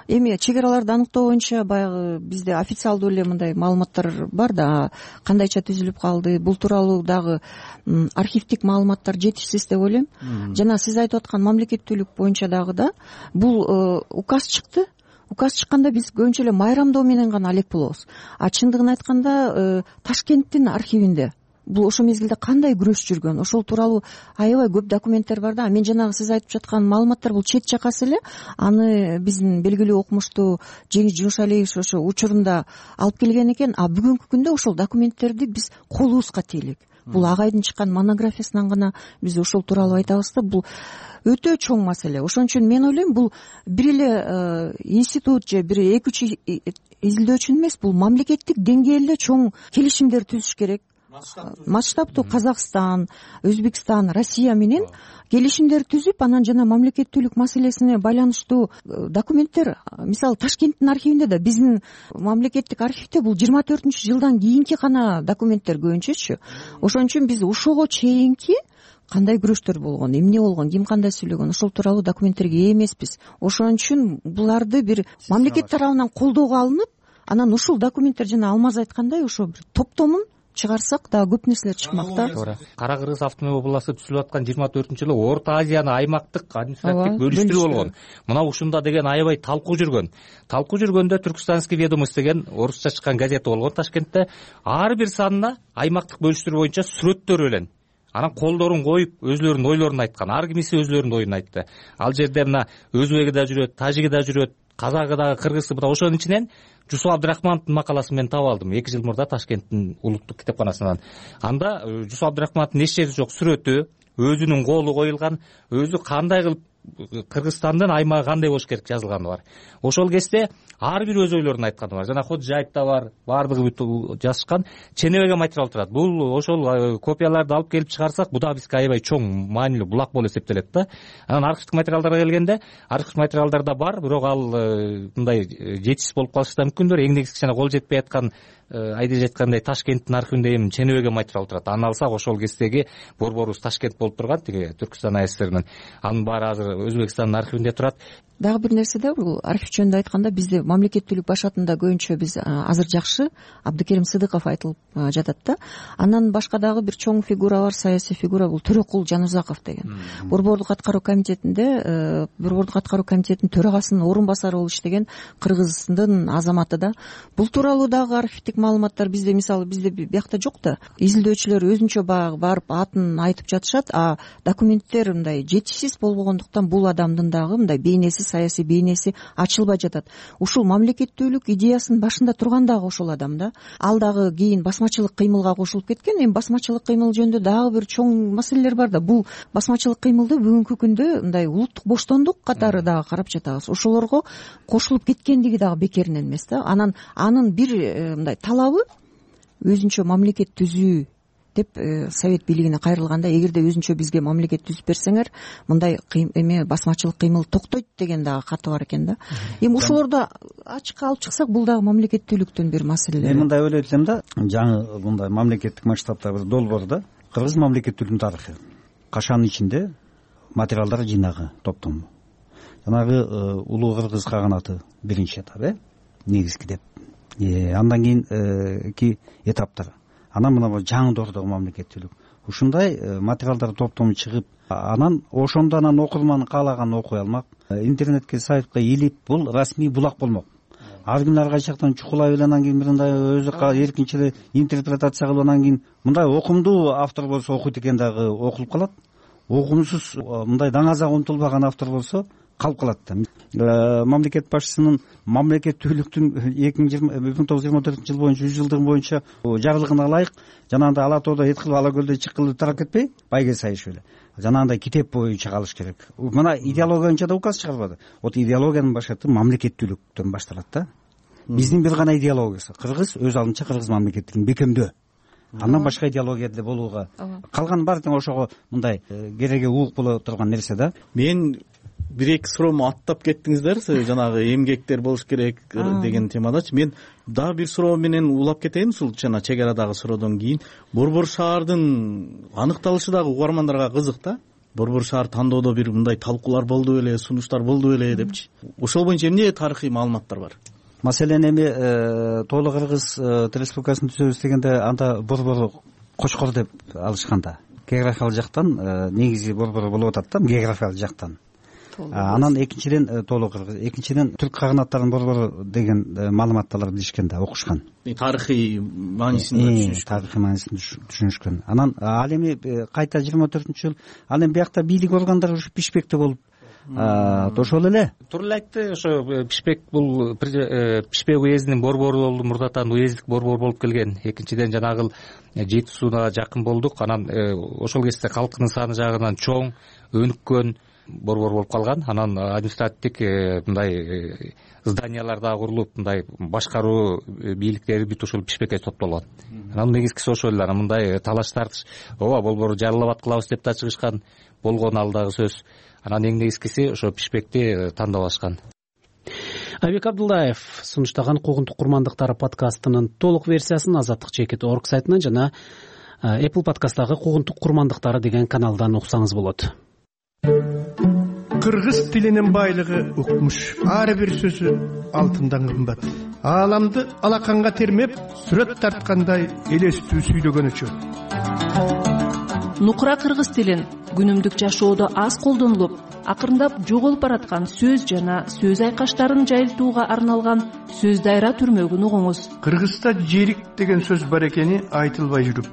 Speaker 24: эми чек араларды аныктоо боюнча баягы бизде официалдуу эле мындай маалыматтар бар да, кандайча түзүлүп калды, бул тууралуу дагы архивдик маалыматтар жетишсиз деп ойлойм. Жана сиз айтып аткан мамлекеттүүлүк боюнча дагы да бул указ чыкты. Указ чыкканда биз көбүнчө эле майрамдоо менен гана алек болобуз. Чындыгын айтканда Ташкенттин архивинде бул ошол мезгилде кандай күрөш жүргөн, ошол тууралуу аябай көп документтер бар да. Мен жанагы сиз айтып жаткан маалыматтар бул чет жакасы эле. Аны биздин белгилүү окумуштуу Жеңиш Жумшалиевич ошо учурунда алып келген экен. Бүгүнкү күндө ошол документтерди биз колубузга тейлик. Бул агайдын чыккан монографиясынан гана биз ошол тууралуу айтабыз да. Бул өтө чоң маселе. Ошон үчүн мен ойлойм, бул бир эле институт же бир 2-3 изилдөөчүнүн эмес, бул мамлекеттик деңгээлде чоң келишимдер түзүш керек. Масштабтуу Казакстан, Өзбекстан, Россия менен келишимдер түзүп, анан жана мамлекеттүүлүк маселесине байланыштуу документтер, мисалы Ташкенттин архивинде да, биздин мамлекеттик архивде бул 24-жылдан кийинки гана документтер көбүнчөчү. Ошон үчүн биз ошого чейинки кандай күрөштөр болгон, эмне болгон, ким кандай сүйлөгөн, ошол тууралуу документтерге ээ эмеспиз. Ошон үчүн буларды бир мамлекет тарабынан колдоого алынып, анан ушул документтер жана Алмаз айткандай ошо бир топтомун чыгарсак дагы көп нерселер чыкмак да.
Speaker 3: туура. Кара Кыргыз автономия областы түзүлүп аткан 24-жылы Орто Азияны аймактык административдик бөлүштүрүү болгон. Мына ушунда деген аябай талкуу жүргөн. Талкуу жүргөндө Түркстанский ведомость деген орусча чыккан газета болгон Ташкентте. Ар бир санына аймактык бөлүштүрүү боюнча сүрөттөр менен анан колдорун коюп өзлөрүнүн ойлорун айткан. Ар кимиси өзлөрүнүн оюн айтты. Ал жерде мына өзбеги да жүрөт, тажиги да жүрөт, казагы дагы, кыргызы да. Ошонун ичинен Жусуп Абдрахмановдун макаласын мен таап алдым 2 жыл мурда Ташкенттин улуттук китепканасынан. Анда Жусуп Абдрахмановдун эч жери жок сүрөтү, өзүнүн колу коюлган, өзү кандай кылып Кыргызстандын аймагы кандай болуш керек жазылганы бар. Ошол кезде ар бир өз ойлорун айтканы бар. Жана Ходжаев да бар, баардыгы бүт жазышкан. Ченебеге материал турат. Бул ошол копияларды алып келип чыгарсак, бул да бизге аябай чоң маанилүү булак болуп эсептелет да. Анан архивдик материалдарга келгенде, архивдик материалдарда бар, бирок ал мындай жетишсиз болуп калышы да мүмкүндүр. Эң негизгиси жана кол жетпей аткан айдап айткандай Ташкенттин архивинде эми Ченебеге материал турат. Аны алсак ошол кездеги борборубуз Ташкент болуп турган, тиги Түркстан АССРнын. Анын баары азыр Өзбекстандын архивинде турат.
Speaker 24: Дагы бир нерсе да, бул архив жөнүндө айтканда бизде мамлекеттүүлүк башатында көбүнчө биз азыр жакшы Абдыкерим Сыдыков айтылып жатат да. Анан башка дагы бир чоң фигура бар, саясий фигура, бул Төрөкул Жанузаков деген. Борбордук аткаруу комитетинде Борбордук аткаруу комитетинин төрагасынын орун басары болуп иштеген Кыргыздын азаматы да. Бул тууралуу дагы архивдик маалыматтар бизде, мисалы бизде биякта жок да. Изилдөөчүлөр өзүнчө барып атын айтып жатышат, а документтер мындай жетишсиз болбогондуктан бул адамдын дагы мындай бейнеси, саясий бейнеси ачылбай жатат. Ушул мамлекеттүүлүк идеясынын башында турган дагы ошол адам да. Ал дагы кийин басмачылык кыймылга кошулуп кеткен. Эми басмачылык кыймыл жөнүндө дагы бир чоң маселелер бар да. Бул басмачылык кыймылды бүгүнкү күндө мындай улуттук боштондук катары дагы карап жатабыз. Ошолорго кошулуп кеткендиги дагы бекеринен эмес да. Анын бир мындай талабы өзүнчө мамлекет түзүү деп совет бийлигине кайрылганда, эгерде өзүнчө бизге мамлекет түзүп берсеңер, мындай эме басмачылык кыймыл токтойт деген дагы каты бар экен да. Эми ошолорду ачыкка алып чыксак, бул дагы мамлекеттүүлүктүн бир маселелери.
Speaker 8: Мен мындай ойлойт элем да, жаңы мындай мамлекеттик масштабта бир долбоор да, кыргыз мамлекеттүүлүгүнүн тарыхы. Кашанын ичинде материалдар жыйнагы, топтому. Жанагы улуу кыргыз каганаты биринчи этап, негизги деп. Андан кийинки этаптар. Анан мына жаңы доордогу мамлекеттүүлүк. Ушундай материалдар топтому чыгып, анан ошондо анан окурман каалаганын окуй алмак, интернетке, сайтка илип, бул расмий булак болмок. Ар ким ар кайчы жактан чукулай эле, анан кийин мындай өзү эркинче эле интерпретация кылып, анан кийин мындай окумдуу автор болсо окуйт экен, дагы окулуп калат. Окумсуз мындай даңазага умтулбаган автор болсо калып калат да. Мамлекет башчысынын мамлекеттүүлүктүн 1924 жыл боюнча 100 жылдыгы боюнча жарлыгына ылайык жанагындай ала тоодо эт кылып, ала көлдө чык кылып тарап кетпей, байге сайыш эле жанагындай китеп боюнча калыш керек. Мына идеология боюнча да указ чыгарбады. Вот идеологиянын башкаты мамлекеттүүлүктөн башталат да. Биздин бир гана идеологиясы кыргыз өз алдынча кыргыз мамлекеттүүлүгүн бекемдөө. Андан башка идеология деле болууга, калган баары тең ошого мындай кереге уук боло турган нерсе да.
Speaker 6: Мен бир-эки суроому аттап кеттиңиздер, жанагы эмгектер болуш керек деген темадачы. Мен дагы бир суроо менен улап кетейин, ушул жана чек арадагы суроодон кийин. Борбор шаардын аныкталышы дагы угармандарга кызык да. Борбор шаар тандоодо бир мындай талкуулар болду беле, сунуштар болду беле депчи. Ошол боюнча эмне тарыхый маалыматтар бар?
Speaker 8: Маселен эми Тоолу Кыргыз республикасын түзөбүз дегенде анда борбору Кочкор деп алышканда, географиялык жактан негизи борбору болуп атат да, географиялык жактан. Анан экинчиден Тоолу Кыргыз, экинчиден түрк каганаттарынын борбору деген маалыматтарды билишкен да, окушкан.
Speaker 6: Тарыхый маанисин
Speaker 8: түшүнүшкөн. Анан ал эми кайта 24-жыл ал эми биякта бийлик органдары ушу Бишкекте болуп ошол эле.
Speaker 3: Туура эле айтты. Ошо Бишкек бул Бишкек уездинин борбору болду, мурдатан уездик борбор болуп келген. Экинчиден жанагы Жети Сууга жакын болдук. Анан ошол кезде калкынын саны жагынан чоң, өнүккөн борбор болуп калган. Анан административдик мындай зданиялар да курулуп, мындай башкаруу бийликтери бүт ошол Бишкекке топтолгон. Анан негизгиси ошол эле. Анан мындай талаш тартыш, ооба борборду жарылабат кылабыз деп да чыгышкан болгон, ал дагы сөз. Анан эң негизгиси ошо Бишкекти тандап алышкан.
Speaker 2: Айбек Абдуллаев сунуштаган Куугунтук курмандыктары подкастынын толук версиясын Азаттык Чекит.org сайтынан жана Apple подкасттагы Куугунтук курмандыктары деген каналдан уксаңыз болот.
Speaker 4: Кыргыз тилинин байлыгы укмуш, ар бир сөзү алтындан кымбат. ааламды алаканга термеп сүрөт тарткандай элестүү сүйлөгөнүчө.
Speaker 5: нукура кыргыз тилин күнүмдүк жашоодо аз колдонулуп, акырындап жоголуп бараткан сөз жана сөз айкаштарын жайылтууга арналган сөз дайра түрмөгүн угуңуз.
Speaker 4: Кыргызда жерик деген сөз бар экени айтылбай жүрүп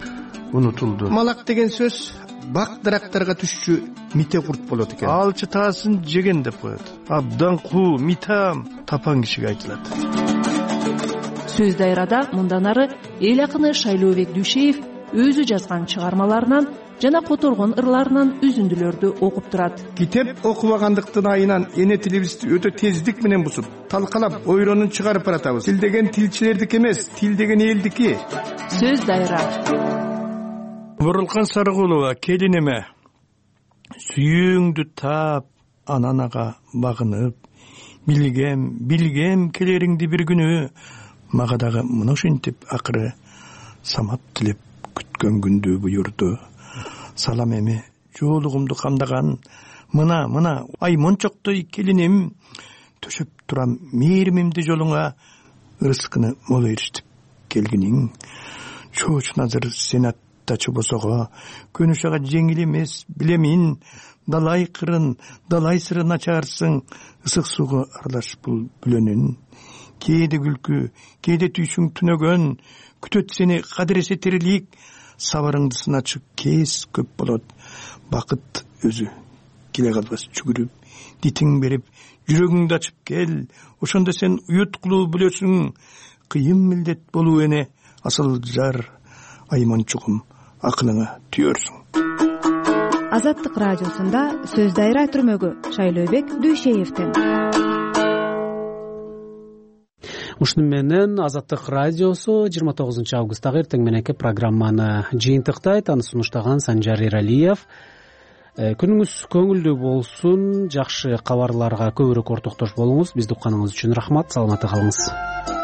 Speaker 4: унутулду. Малак деген сөз бак дарактарга түшчү мите курт болот экен. Алчы таасын жеген деп коет. Абдан куу, митам тапан кишиге айтылат.
Speaker 5: Сөз дайрада мындан ары эл акыны Шайлообек Дүйшеев өзү жазган чыгармаларынан жана которгон ырларынан үзүндүлөрдү окуп турат.
Speaker 4: Китеп окубагандыктын айынан эне тилибизди өтө тездик менен бузуп, талкалап, ойронун чыгарып баратабыз. Тил деген тилчилердики эмес, тил деген элдики.
Speaker 5: Сөз дайра.
Speaker 4: Бурулкан Сарыгулова, келинеме сүйүүңдү таап, ананага багынып, билгем келериңди бир күнү, мага дагы мына ушинтип акыры самап тилеп күткөн күндү буйурду. Салам эми жоолугумду камдаган мына ай мончоктой келиним, төшөп турам мээримимди жолуңа, ырыскыны мол эрişтип келгиниң. Чоочун азыр сенаттачы босого, көнүш ага жеңил эмес, билемин. Далай кырын, далай сырын ачарсың, ысык сууга аралаш бул бүлөнүн. Кээде күлкү, кээде түйшүң түнөгөн, күтөт сени кадыресе тирилик. Сабарыңды сыначы кез көп болот. Бакыт өзү келе калбас жүгүрүп, дитиң берип, жүрөгүңдү ачып кел. Ошондо сен уют кылуу билесиң. Кыйын милдет болуу эне, асыл жар, айманчугум акылыңа түйөрсүң.
Speaker 7: Азаттык радиосунда сөз дайра түрмөгү Шайлообек Дүйшеевден.
Speaker 2: Ушуну менен Азаттык радиосу 29 августтагы эртең мененки программаны жыйынтыктайт. Аны сунуштаган Санжар Эралиев. Күнүңүз көңүлдүү болсун, жакшы кабарларга көбүрөөк ортоктош болуңуз. Бизди укканыңыз үчүн рахмат. Саламатта калыңыз.